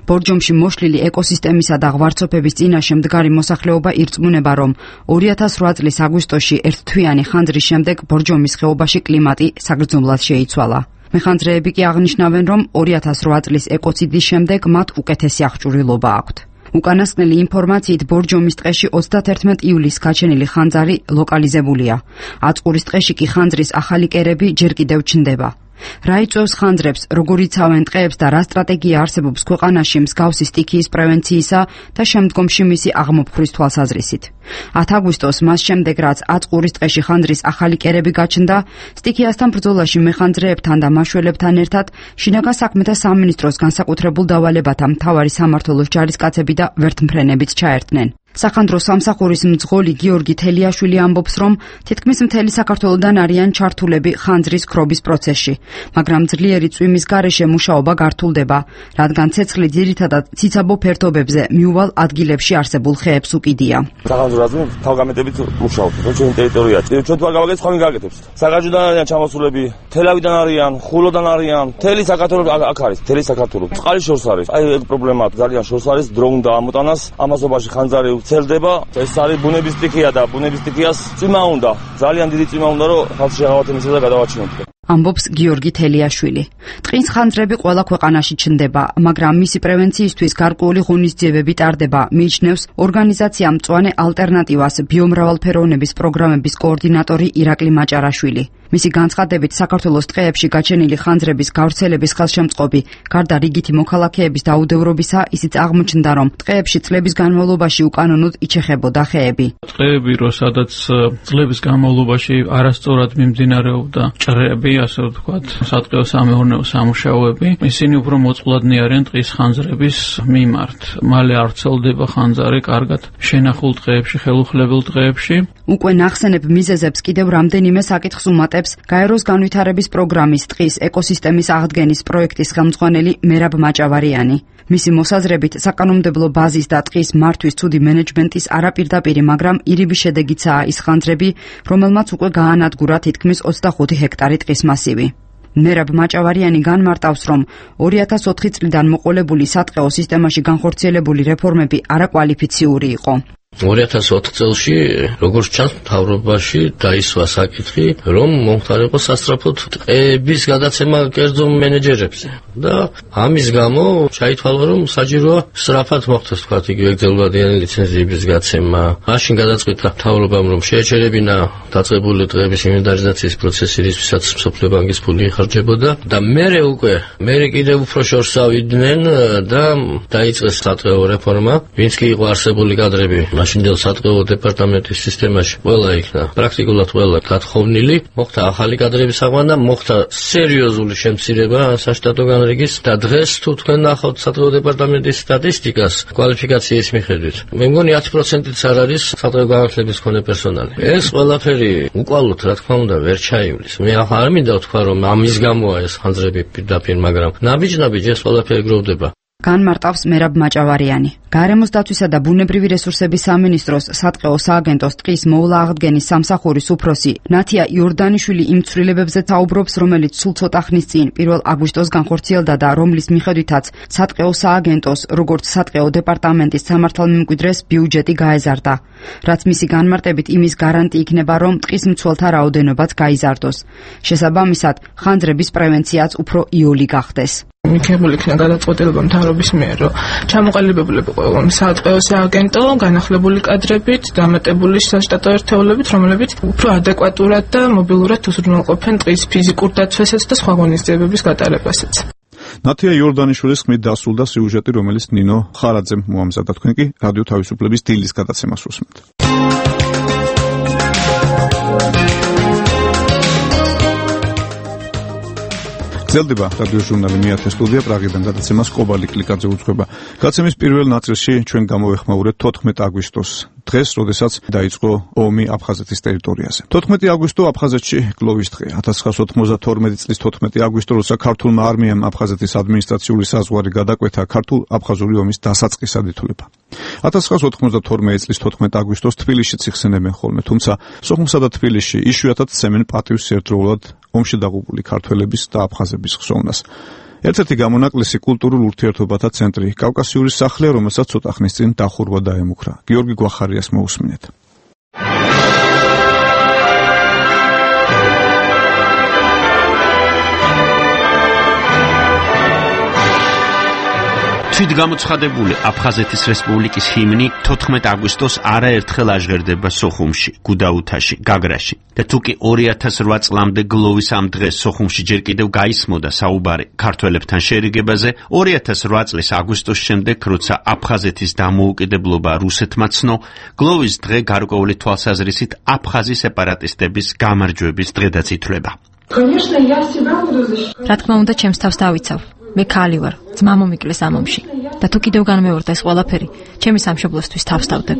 ბორჯომში მოშლილი ეკოსისტემისა და ღვარცოფების წინაშე მდგარი მოსახლეობა ირწმუნება, რომ ორი ათას რვა წლის აგვისტოში ერთთვიანი ხანძრის შემდეგ ბორჯომის ხეობაში კლიმატი საგრძნობლად შეიცვალა. მეხანძრეები კი აღნიშნავენ, რომ ორი ათას რვა წლის ეკოციდის შემდეგ მათ უკეთესი აღჭურვილობა აქვთ. უკანასკნელი ინფორმაციით ბორჯომის ტყეში ოცდათერთმეტ ივლისს გაჩენილი ხანძარი ლოკალიზებულია. აწყურის ტყეში კი ხანძრის ახალი კერები ჯერ კიდევ ჩნდება. რა იწვევს ხანძრებს, როგორ იცავენ ტყეებს და რა სტრატეგია არსებობს ქვეყანაში მსგავსი სტიქიის პრევენციისა და შემდგომში მისი აღმოფხვრის თვალსაზრისით. ათ აგვისტოს მას შემდეგ, რაც აწყურის ტყეში ხანძრის ახალი კერები გაჩნდა, სტიქიასთან ბრძოლაში მეხანძრეებთან და მაშველებთან ერთად შინაგან საქმეთა სამინისტროს განსაკუთრებულ დავალებათა მთავარი სამმართველოს ჯარისკაცები და ვერთმფრენებიც ჩაერთნენ. სახანდრო სამსახურის მძღოლი გიორგი თელიაშვილი ამბობს, რომ თითქმის მთელი საქართველოდან არიან ჩართულები ხანძრის ქრობის პროცესში, მაგრამ ძლიერი წვიმის გარეშე მუშაობა გართულდება, რადგან ცეცხლი ძირითადად ციცაბო ფერდობებზე მიუვალ ადგილებში არსებულ ხეებს უკიდია. სახანდრო რაზმი თავგამეტებით მუშაობს, ჩვენი ტერიტორიაა. ჩვენ თუ არ გავაკეთებთ, ხომ გაკეთებს. საგაჯოდან არიან ჩამოსულები, თელავიდან არიან, ხულოდან არიან, მთელი საქართველოს აქ არის, მთელი საქართველოს. წყალი შორს არის. აი ეგ პრობლემაა, ძალიან შორს არის, დრო უნდა ამოტანას, ამასობაში ხანძარი ცელდება, ეს არის ბუნების სტიქია და ბუნების სტიქიას წვიმა უნდა, ძალიან დიდი წვიმა უნდა, რომ ხალხი შეღავათ იმისა და გადავაჩინოთ. ამბობს გიორგი თელიაშვილი. ტყის ხანძრები ყველა ქვეყანაში ჩნდება, მაგრამ მისი პრევენციისთვის გარკვეული ღონისძიებები ტარდება, მიიჩნევს ორგანიზაცია მწვანე ალტერნატივას ბიომრავალფეროვნების პროგრამების კოორდინატორი ირაკლი მაჭარაშვილი. მისი განცხადებით, საქართველოს ტყეებში გაჩენილი ხანძრების გავრცელების ხელშემწყობი, გარდა რიგითი მოქალაქეების დაუდევრობისა, ისიც აღმოჩნდა, რომ ტყეებში წლების განმავლობაში უკანონოდ იჩეხებოდა ხეები. ტყეები, რო სადაც წლების განმავლობაში არასწორად მიმდინარეობდა ჭრები, ასე ვთქვათ, სატყეო სამეურნეო სამუშაოები, ისინი უფრო მოწყვლადნი არიან ტყის ხანძრების მიმართ. მალე არ ვრცელდება ხანძარი კარგად შენახულ ტყეებში, ხელუხლებელ ტყეებში. უკვე ნახსენებ მიზეზებს კიდევ რამდენიმე საკითხს უმატებს გაეროს განვითარების პროგრამის ტყის ეკოსისტემის აღდგენის პროექტის ხელმძღვანელი მერაბ მაჭავარიანი. მისი მოსაზრებით, საკანონმდებლო ბაზის და ტყის მართვის ცუდი მენეჯმენტის არაპირდაპირი, მაგრამ ირიბი შედეგიცაა ის ხანძრები, რომელმაც უკვე გაანადგურა თითქმის ოცდახუთი ჰექტარი ტყის მასივი. მერაბ მაჭავარიანი განმარტავს, რომ ორი ათას ოთხი წლიდან მოყოლებული სატყეო სისტემაში განხორციელებული რეფორმები არაკვალიფიციური იყო. ორი ათას ოთხ წელში, როგორც ჩანს, მთავრობაში დაისვა საკითხი, რომ მომხდარიყო სასწრაფოდ ტყეების გადაცემა კერძო მენეჯერებზე და ამის გამო ჩაითვალა, რომ საჭიროა სწრაფად მოხდეს, თქვათ, იგივე გრძელვადიანი ლიცენზიების გაცემა. მაშინ გადაწყვიტა მთავრობამ, რომ შეეჩერებინა დაწყებული ტყეების ინვენტარიზაციის პროცესი, რისთვისაც მსოფლიო ბანკის ფული იხარჯებოდა და მერე უკვე, მერე კიდევ უფრო შორს ავიდნენ და დაიწყეს სატყეო რეფორმა, ვინც კი იყო არსებული კადრები მაშინდელ სატყეო დეპარტამენტის სისტემაში ყველა იქნა პრაქტიკულად ყველა გათხოვნილი, მოხდა ახალი კადრების აყვანა, მოხდა სერიოზული შემცირება საშტატო განრიგის და დღეს თუ თქვენ ნახავთ სატყეო დეპარტამენტის სტატისტიკას კვალიფიკაციის მიხედვით, მე მგონი ათი პროცენტიც არ არის სატყეო განათლების მქონე პერსონალი. ეს ყველაფერი უკვალოდ, რა თქმა უნდა, ვერ ჩაივლის. მე არ მინდა ვთქვა, რომ ამის გამოა ეს ხანძრები პირდაპირ, მაგრამ ნაბიჯ-ნაბიჯ ეს ყველაფერი გროვდება. განმარტავს მერაბ მაჭავარიანი. გარემოს დაცვისა და ბუნებრივი რესურსების სამინისტროს სატყეო სააგენტოს ტყის მოვლა აღდგენის სამსახურის უფროსი ნათია იორდანიშვილი იმ ცვლილებებზე საუბრობს, რომელიც სულ ცოტა ხნის წინ პირველ აგვისტოს განხორციელდა და რომლის მიხედვითაც სატყეო სააგენტოს, როგორც სატყეო დეპარტამენტის სამართალმემკვიდრეს ბიუჯეტი გაეზარდა. რაც მისი განმარტებით იმის გარანტი იქნება, რომ ტყის მცველთა რაოდენობაც გაიზარდოს. შესაბამისად, ხანძრების პრევენციაც უფრო იოლი გახდეს. მიქებული იქნა გადაწყვეტილება მთავრობის მიერ, რომ ჩამოყალიბებული იყო სატყეო სააგენტო განახლებული კადრებით, დამატებული საშტატო ერთეულებით, რომლებიც უფრო ადეკვატურად და მობილურად უზრუნველყოფენ ტყის ფიზიკურ დაცვასაც და სხვა ღონისძიებების გატარებასაც. ნათია იორდანიშვილის ხმით დასრულდა სიუჟეტი, რომელიც ნინო ხარაძემ მოამზადა. თქვენ კი რადიო თავისუფლების დილის გადაცემას უსმენთ. გრძელდება რადიო ჟურნალი მეათე სტუდია პრაღიდან გადაცემას კობალი კლიკაძე უძღვება. გადაცემის პირველ ნაწილში ჩვენ გამოვეხმაურეთ თოთხმეტ აგვისტოს დღეს, როდესაც დაიწყო ომი აფხაზეთის ტერიტორიაზე. თოთხმეტი აგვისტო აფხაზეთში გლოვის დღე. ათას ცხრაასა ოცდაათორმეტი წლის თოთხმეტი აგვისტო, როცა ქართულმა არმიამ აფხაზეთის ადმინისტრაციული საზღვარი გადაკვეთა, ქართულ-აფხაზური ომის დასაწყისად ითვლება. ათას ცხრაასა ოცდაათორმეტი წლის თოთხმეტი აგვისტოს თბილისშიც იხსენებენ ხოლმე, თუმცა სოხუმსა და თბილისში იშვიათად სცემენ პატივს ერთდროულად ომში დაღუპული ქართველების და აფხაზების ხსოვნას. ერთ-ერთი გამონაკლისი კულტურულ ურთიერთობათა ცენტრი კავკასიური სახლია, რომელსაც ცოტა ხნის წინ დახურვა დაემუქრა. გიორგი გვახარიას მოусმინეთ. თვითგამოცხადებული აფხაზეთის რესპუბლიკის ჰიმნი თოთხმეტ აგვისტოს არაერთხელ აჟღერდება სოხუმში, გუდაუთაში, გაგრაში. და თუ კი ორი ათას რვა წლამდე გლოვის ამ დღეს სოხუმში ჯერ კიდევ გაისმოდა საუბარი ქართველებთან შერიგებაზე, ორი ათას რვა წლის აგვისტოს შემდეგ, როცა აფხაზეთის დამოუკიდებლობა რუსეთმა ცნო, გლოვის დღე გარკვეული თვალსაზრისით აფხაზი სეპარატისტების გამარჯვების დღედაც ითვლება. რა თქმა უნდა, ჩემს თავს დავიცავ. მე ქალი ვარ, ძმა მომიკლეს ამ ომში და თუ კიდევ განმეორდა ეს ყველაფერი, ჩემი სამშობლოსთვის თავს დავდებ.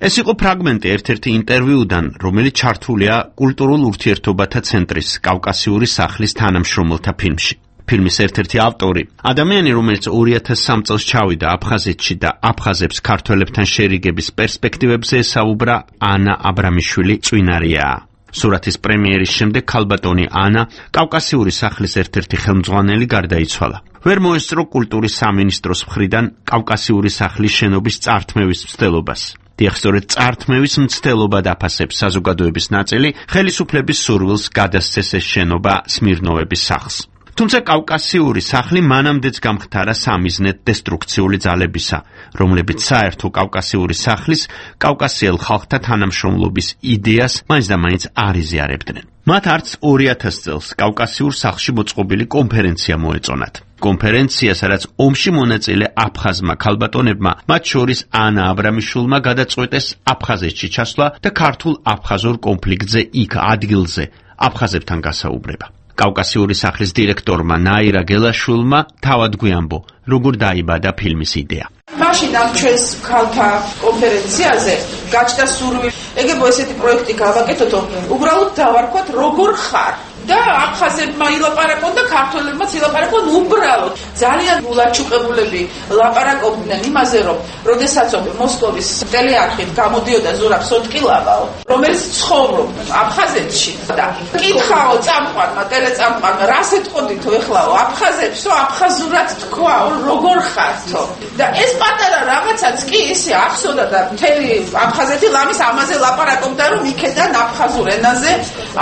ეს იყო ფრაგმენტი ერთ-ერთი ინტერვიუდან, რომელიც ჩართულია კულტურულ ურთიერთობათა ცენტრის კავკასიური სახლის თანამშრომელთა ფილმში. ფილმის ერთ-ერთი ავტორი, ადამიანი, რომელიც ორი ათას სამი წელს ჩავიდა აფხაზეთში და აფხაზებს ქართველებთან შერიგების პერსპექტივებზე ესაუბრა, ანა აბრამიშვილი წვინარიაა. სურათის პრემიერის შემდეგ ქალბატონი ანა, კავკასიური სახლის ერთ-ერთი ხელმძღვანელი, გარდაიცვალა. ვერ მოესწრო კულტურის სამინისტროს მხრიდან კავკასიური სახლის შენობის წართმევის მცდელობას. დიახ, სწორედ წართმევის მცდელობა დაფასებს საზოგადოების ნაწილი, ხელისუფლების სურვილს გადასცეს ეს შენობა სმირნოვების სახლს. თუმცა კავკასიური სახლი მანამდეც გამხდარა სამიზნედ დესტრუქციული ძალებისა, რომლებიც საერთო კავკასიური სახლის კავკასიელ ხალხთა თანამშრომლობის იდეას მაინც და მაინც არ იზიარებდნენ. მათ არც ორი ათას წელს კავკასიურ სახლში მოწყობილი კონფერენცია მოეწონათ. კონფერენცია, სადაც ომში მონაწილე აფხაზმა ქალბატონებმა, მათ შორის ანა აბრამიშვილმა გადაწყვეტეს აფხაზეთში ჩასვლა და ქართულ აფხაზურ კონფლიქტზე იქ ადგილზე აფხაზებთან გასაუბრება. კავკასიური სახლის დირექტორმა ნაირა გელაშვილმა თავად გვიამბო, როგორ დაიბადა ფილმის იდეა. მაშინ ამ ჩვენს ქალთა კონფერენციაზე გაჩნდა სურვილი, ეგებო ესეთი პროექტი გავაკეთოთ, უბრალოდ დავარქვათ როგორ ხარ და აფხაზებმა ილაპარაკონ და ქართველებმაც ილაპარაკონ უბრალოდ. ძალიან ულაჩუყებულები ლაპარაკობდნენ იმაზე, რომ როდესაც მოსკოვის ტელეარხით გამოდიოდა ზურაბ სოტკილავაო, რომელიც ცხოვრობდა აფხაზეთში და კითხაო წამყვანმა, ტელეწამყვანმა, რას ეთყოდითო ეხლაო აფხაზებსო, აფხაზურად თქვაო, როგორ ხართო? და ეს პატარა რაღაცაც კი ისე ახსოვდა და მთელი აფხაზეთი ლამის ამაზე ლაპარაკობდა, რომ იქედან აფხაზურ ენაზე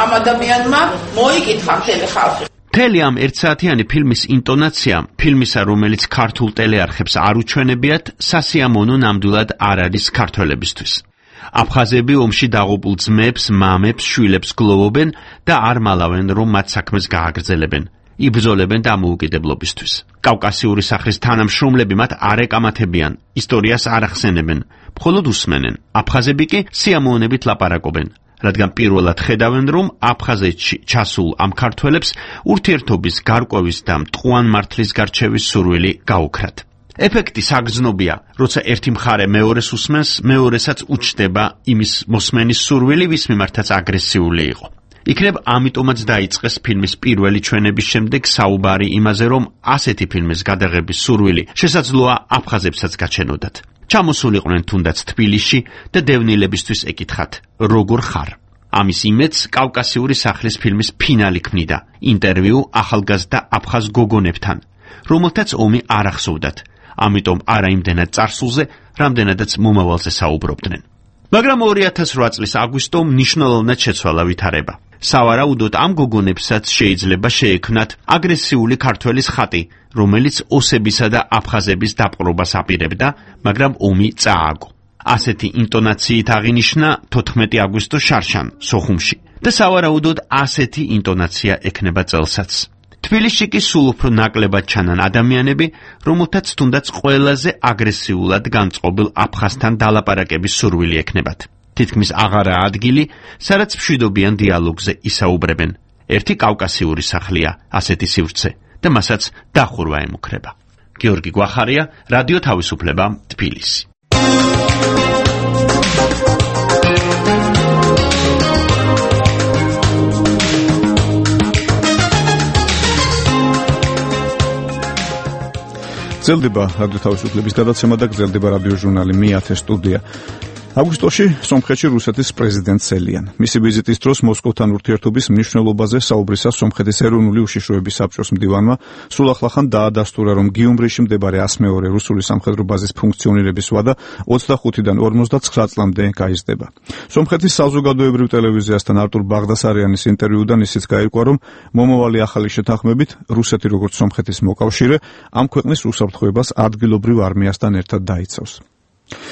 ამ ადამიანმა მოიკითხა მთელი ხალხი. მთელი ამ ერთსაათიანი ფილმის ინტონაცია, ფილმისა, რომელიც ქართულ ტელეარხებს არ უჩვენებიათ, სასიამოვნო ნამდვილად არ არის ქართველებისთვის. აფხაზები ომში დაღუპულ ძმებს, მამებს, შვილებს გლოვობენ და არ მალავენ, რომ მათ საქმეს გააგრძელებენ. იბრძოლებენ დამოუკიდებლობისთვის. კავკასიური სახლის თანამშრომლები მათ არ ეკამათებიან, ისტორიას არ ახსენებენ, მხოლოდ უსმენენ. აფხაზები კი სიამოვნებით ლაპარაკობენ, რადგან პირველად ხედავენ, რომ აფხაზეთში ჩასულ ამ ქართველებს ურთიერთობის გარკვევის და მტყუან მართლის გარჩევის სურვილი გაუქრათ. ეფექტი საგრძნობია, როცა ერთი მხარე მეორეს უსმენს, მეორესაც უჩნდება იმის მოსმენის სურვილი, ვის მიმართაც აგრესიული იყო. იქნებ ამიტომაც დაიწყეს ფილმის პირველი ჩვენების შემდეგ საუბარი იმაზე, რომ ასეთი ფილმის გადაღების სურვილი შესაძლოა აფხაზებსაც გაჩენოდათ. ჩამოსულიყვნენ თუნდაც თბილისში და დევნილებისთვის ეკითხათ, როგორ ხარ? ამის იმედს კავკასიური სახლის ფილმის ფინალი ქმნიდა, ინტერვიუ ახალგაზრდა აფხაზ გოგონებთან, რომელთაც ომი არ ახსოვდათ, ამიტომ არა იმდენად წარსულზე, რამდენადაც მომავალზე საუბრობდნენ. მაგრამ ორი ათას რვა წლის აგვისტო მნიშვნელოვნად შეცვალა ვითარება. სავარაუდოდ ამ გოგონებსაც შეიძლება შეექმნათ აგრესიული ქართველის ხატი, რომელიც ოსებისა და აფხაზების დაპყრობას აპირებდა, მაგრამ ომი წააგო. ასეთი ინტონაციით აღინიშნა თოთხმეტი აგვისტოს შარშან, სოხუმში და სავარაუდოდ ასეთი ინტონაცია ექნება წელსაც. თბილისში კი სულ უფრო ნაკლებად ჩანან ადამიანები, რომელთაც თუნდაც ყველაზე აგრესიულად განწყობილ აფხაზთან დალაპარაკების სურვილი ექნებათ. თითქმის აღარაა ადგილი, სადაც მშვიდობიან დიალოგზე ისაუბრებენ. ერთი კავკასიური სახლია, ასეთი სივრცე და მასაც დახურვა ემუქრება. გიორგი გვახარია, რადიო თავისუფლება, თბილისი. გრძელდება რადიო თავისუფლების გადაცემა და გრძელდება რადიო ჟურნალი მეათე სტუდია. აგვისტოში სომხეთში რუსეთის პრეზიდენტს ელიან. მისი ვიზიტის დროს მოსკოვთან ურთიერთობის მნიშვნელობაზე საუბრისას სომხეთის ეროვნული უშიშროების საბჭოს მდივანმა სულ ახლახან დაადასტურა, რომ გიუმრიში მდებარე ას მეორე რუსული სამხედრო ბაზის ფუნქციონირების ვადა ოცდახუთიდან ორმოცდაცხრა წლამდე გაიზრდება. სომხეთის საზოგადოებრივ ტელევიზიასთან არტურ ბაღდასარიანის ინტერვიუდან ისიც გაირკვა, რომ მომავალი ახალი შეთანხმებით რუსეთი როგორც სომხეთის მოკავშირე ამ ქვეყნის უსაფრთხოებას ადგილობრივ არმიასთან ერთად დაიცავს.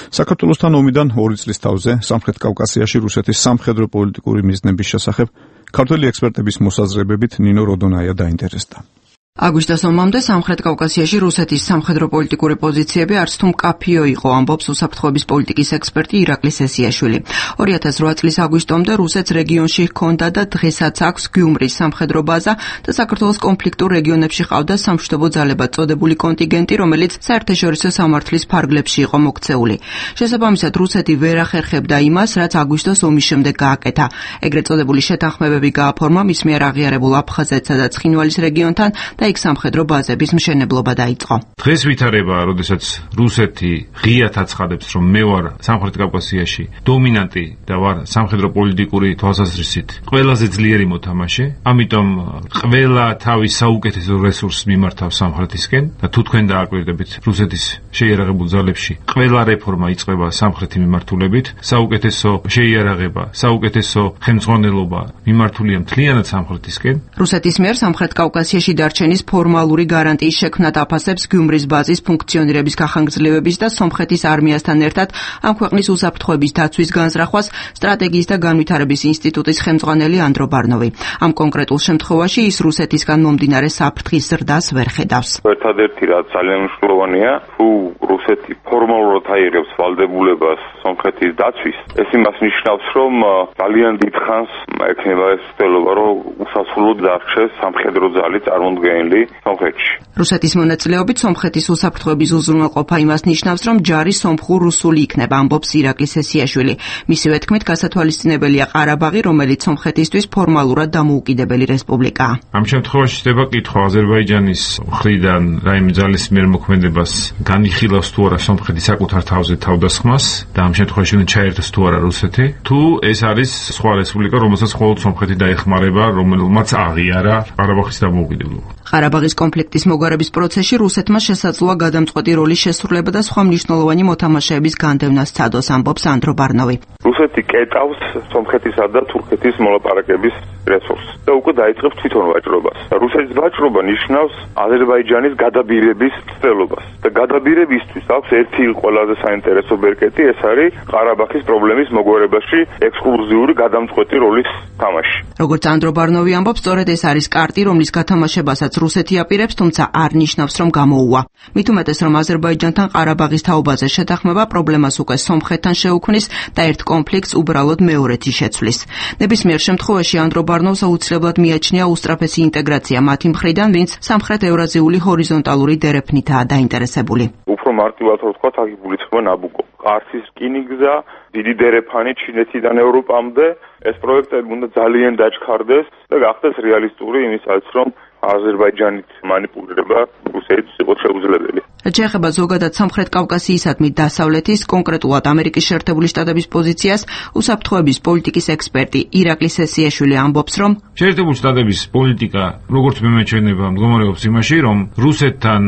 საქართველოსთან ომიდან ორი წლის თავზე სამხრეთ კავკასიაში რუსეთის სამხედრო პოლიტიკური მიზნების შესახებ ქართველი ექსპერტების მოსაზრებებით ნინო როდონაია დაინტერესდა. აგვისტოს ომამდე სამხრეთ კავკასიაში რუსეთის სამხედრო პოლიტიკური პოზიციები არც თუ მკაფიო იყო, ამბობს უსაფრთხოების პოლიტიკის ექსპერტი ირაკლი სესიაშვილი. ორი ათას რვა წლის აგვისტომდე რუსეთს რეგიონში ჰქონდა და დღესაც აქვს გიუმრის სამხედრო ბაზა და საქართველოს კონფლიქტურ რეგიონებში ყავდა სამშვიდობო ძალებად წოდებული კონტინგენტი, რომელიც საერთაშორისო სამართლის ფარგლებში იყო მოქცეული. შესაბამისად, რუსეთი ვერ ახერხებდა იმას, რაც აგვისტოს ომის შემდეგ გააკეთა. ეგრეთ წოდებული შეთანხმებები გააფორმა მის მიერ აღიარებულ აფხაზეთსა და ცხინვალის რეგიონთან და იქ სამხედრო ბაზების მშენებლობა დაიწყო. დღეს ვითარება, როდესაც რუსეთი ღიად აცხადებს, რომ მე ვარ სამხრეთ კავკასიაში დომინანტი და ვარ სამხედრო პოლიტიკური თვალსაზრისით ყველაზე ძლიერი მოთამაშე, ამიტომ ყველა თავის საუკეთესო რესურსს მიმართავს სამხრეთისკენ და თუ თქვენ დააკვირდებით რუსეთის შეიარაღებულ ძალებში ყველა რეფორმა იწყება სამხრეთი მიმართულებით, საუკეთესო შეიარაღება, საუკეთესო ხელმძღვანელობა მიმართულია მთლიანად სამხრეთისკენ. რუსეთის მიერ სამხრეთ კავკასიაში დარჩენის ფორმალური გარანტიის შექმნა დაფასებს გიუმრის ბაზის ფუნქციონირების გახანგრძლივების და სომხეთის არმიასთან ერთად ამ ქვეყნის უსაფრთხოების დაცვის განზრახვას სტრატეგიის და განვითარების ინსტიტუტის ხელმძღვანელი ანდრო ბარნოვი. ამ კონკრეტულ შემთხვევაში ის რუსეთისგან მომდინარე საფრთხის ზრდას ვერ ხედავს. ერთადერთი რაც ძალიან მნიშვნელოვანია, თუ რუსეთი ფორმალურად აიღებს ვალდებულებას სომხეთის დაცვის, ეს იმას ნიშნავს, რომ ძალიან დიდხანს ექნება ეს ცდელობა, რომ უსასრულოდ დარჩეს სამხედრო ძალი წარმოდგენილი სომხეთში. რუსეთის მონაწილეობით სომხეთის უსაფრთხოების უზრუნველყოფა იმას ნიშნავს, რომ ჯარი სომხურ-რუსული იქნება, ამბობს ირაკლი სესიაშვილი. მისივე თქმით, გასათვალისწინებელია ყარაბაღი, რომელიც სომხეთისთვის ფორმალურად დამოუკიდებელი რესპუბლიკაა. ამ შემთხვევაში ხდება კითხვა აზერბაიჯანის მხრიდან რაიმე ძალის მიერ მოქმედებას განიხილავს თუ არა სომხეთი საკუთარ თავზე თავდასხმას და ამ შემთხვევაში უნდა ჩაერთოს თუ არა რუსეთი, თუ ეს არის სხვა რესპუბლიკა, რომელსაც მხოლოდ სომხეთი დაეხმარება, რომელმაც აღიარა ყარაბაღის დამოუკიდებლობა. ყარაბაღის კონფლიქტის მოგარების პროცესში რუსეთმა შესაძლოა გადამწყვეტი როლის შესრულება და სხვა მნიშვნელოვანი მოთამაშეების განდევნა სცადოს, ამბობს ანდრო ბარნოვი. რუსეთი კეტავს სომხეთისა და თურქეთის მოლაპარაკების რესურსს და უკვე დაიწყებს თვითონ ვაჭრობას. რუსეთის ვაჭრობა ნიშნავს აზერბაიჯანის გადაბირების ცდელობას და გადაბირებისთვის აქვს ერთი ყველაზე საინტერესო ბერკეტი, ეს არის ყარაბაღის პრობლემის მოგვარებაში ექსკლუზიური გადამწყვეტი როლის თამაში. როგორც ანდრო ბარნოვი ამბობს, სწორედ ეს არის კარტი, რომლის გათამაშებასაც რუსეთი აპირებს, თუმცა არ ნიშნავს, რომ გამოუვა. მით უმეტეს, რომ აზერბაიჯანთან ყარაბაღის თაობაზე შეთანხმება პრობლემას უკვე სომხეთთან შეუქმნის და ერთ კონფლიქტს უბრალოდ მეორეთი შეცვლის. ნებისმიერ შემთხვევაში ანდრო ბარნოვს აუცილებლად მიაჩნია უსწრაფესი ინტეგრაცია მათი მხრიდან, ვინც სამხრეთ-ევრაზიული ჰორიზონტალური დერეფნითაა დაინტერესებული. უფრო მარტივად ვთქვათ, აქ იგულისხმება ნაბუკო. ყარსის რკინიგზა, დიდი დერეფანი ჩინეთიდან ევროპამდე, ეს პროექტები უნდა ძალიან დაჩქარდეს და გახდეს რეალისტური იმისაც, რომ აზერბაიჯანით მანიპულირება რუსეთს იყოს შეუძლებელი. რაც შეეხება ზოგადად სამხრეთ კავკასიისადმი დასავლეთის, კონკრეტულად ამერიკის შეერთებული შტატების პოზიციას, უსაფრთხოების პოლიტიკის ექსპერტი ირაკლი სესიაშვილი ამბობს, რომ შეერთებული შტატების პოლიტიკა, როგორც მემეჩვენება, მდგომარეობს იმაში, რომ რუსეთთან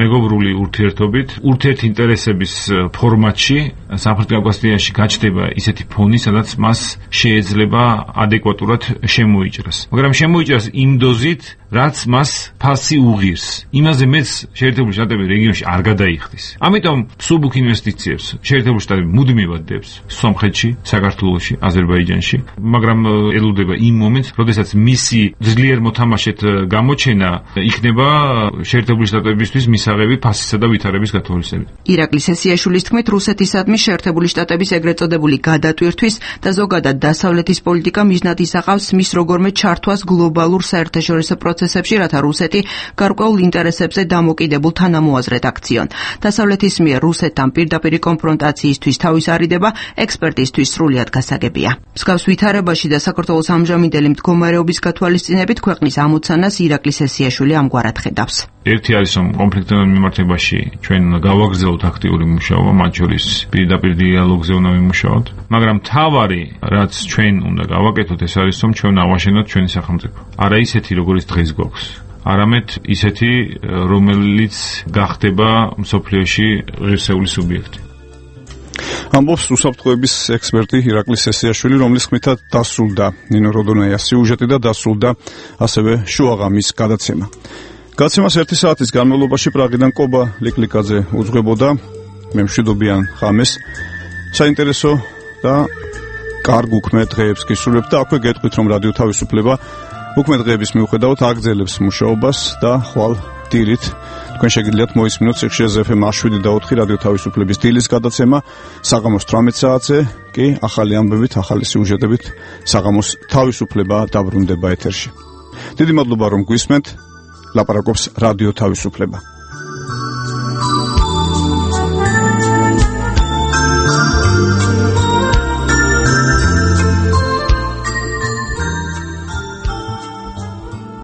მეგობრული ურთიერთობით, ურთიერთინტერესების ფორმატში სამხრეთ კავკასიაში გაჩნდება ისეთი ფონი, სადაც მას შეეძლება ადეკვატურად შემოიჭრას. მაგრამ შემოიჭრას იმ დოზით, რაც მას ფასი უღირს. იმაზე მეც შეერთებული შტატები რეგიონში არ გადაიხდის. ამიტომ მსუბუქ ინვესტიციებს შეერთებული შტატები მუდმივად დებს სომხეთში, საქართველოში, აზერბაიჯანში, მაგრამ ელოდება იმ მომენტს, როდესაც მისი ძლიერ მოთამაშედ გამოჩენა იქნება შეერთებული შტატებისთვის მისაღები ფასისა და ვითარების გათვალისწინებით. ირაკლი სესიაშვილის თქმით, რუსეთისადმი შეერთებული შტატების ეგრეთ წოდებული გადატვირთვის და ზოგადად დასავლეთის პოლიტიკა მიზნად ისახავს მის როგორმე ჩართვას გლობალურ საერთაშორისო პროცესებში, რათა რუსეთი გარკვეულ ინტერესებზე დამოკიდებულ თანამოაზრედ რედაქციონ. დასავლეთის მიერ რუსეთთან პირდაპირი კონფრონტაციისთვის თავის არიდება ექსპერტისთვის სრულიად გასაგებია. მსგავს ვითარებაში და საქართველოს ამჟამინდელი მდგომარეობის გათვალისწინებით ქვეყნის ამოცანას ირაკლი სესიაშვილი ამგვარად ხედავს. ერთი არის რომ კონფლიქტებთან მიმართებაში ჩვენ უნდა გავაგრძელოთ აქტიური მუშაობა, მათ შორის პირდაპირ დიალოგზე უნდა ვიმუშაოთ, მაგრამ თავარი რაც ჩვენ უნდა გავაკეთოთ ეს არის რომ ჩვენ ავაშენოთ ჩვენი სახელმწიფო. არა ისეთი როგორც დღეს გვაქვს, არამედ ისეთი რომელიც გახდება მსოფლიოში ღირსეული სუბიექტი. ამბობს უსაფრთხოების ექსპერტი ირაკლი სესიაშვილი, რომლის ხმითაც დასრულდა ნინო როდონაიას სიუჟეტი და დასრულდა ასევე შუაღამის გადაცემა. გადაცემას ერთი საათის განმავლობაში პრაღიდან კობა ლიკლიკაძე უძღვებოდა. მე მშვიდობიან ხამეს, საინტერესო და კარგ უქმე დღეებს გისურვებთ და აქვე გეტყვით რომ რადიო თავისუფლება უქმე დღეების მიუხედავად აგრძელებს მუშაობას და ხვალ დილით თქვენ შეგიძლიათ მოისმინოთ სიხშირეზე ეფ ემ შვიდი და ოთხი რადიო თავისუფლების დილის გადაცემა საღამოს თვრამეტ საათზე კი ახალი ამბებით, ახალი სიუჟეტებით საღამოს თავისუფლება დაბრუნდება ეთერში. დიდი მადლობა რომ გვისმენთ. ლაპარაკობს რადიო თავისუფლება.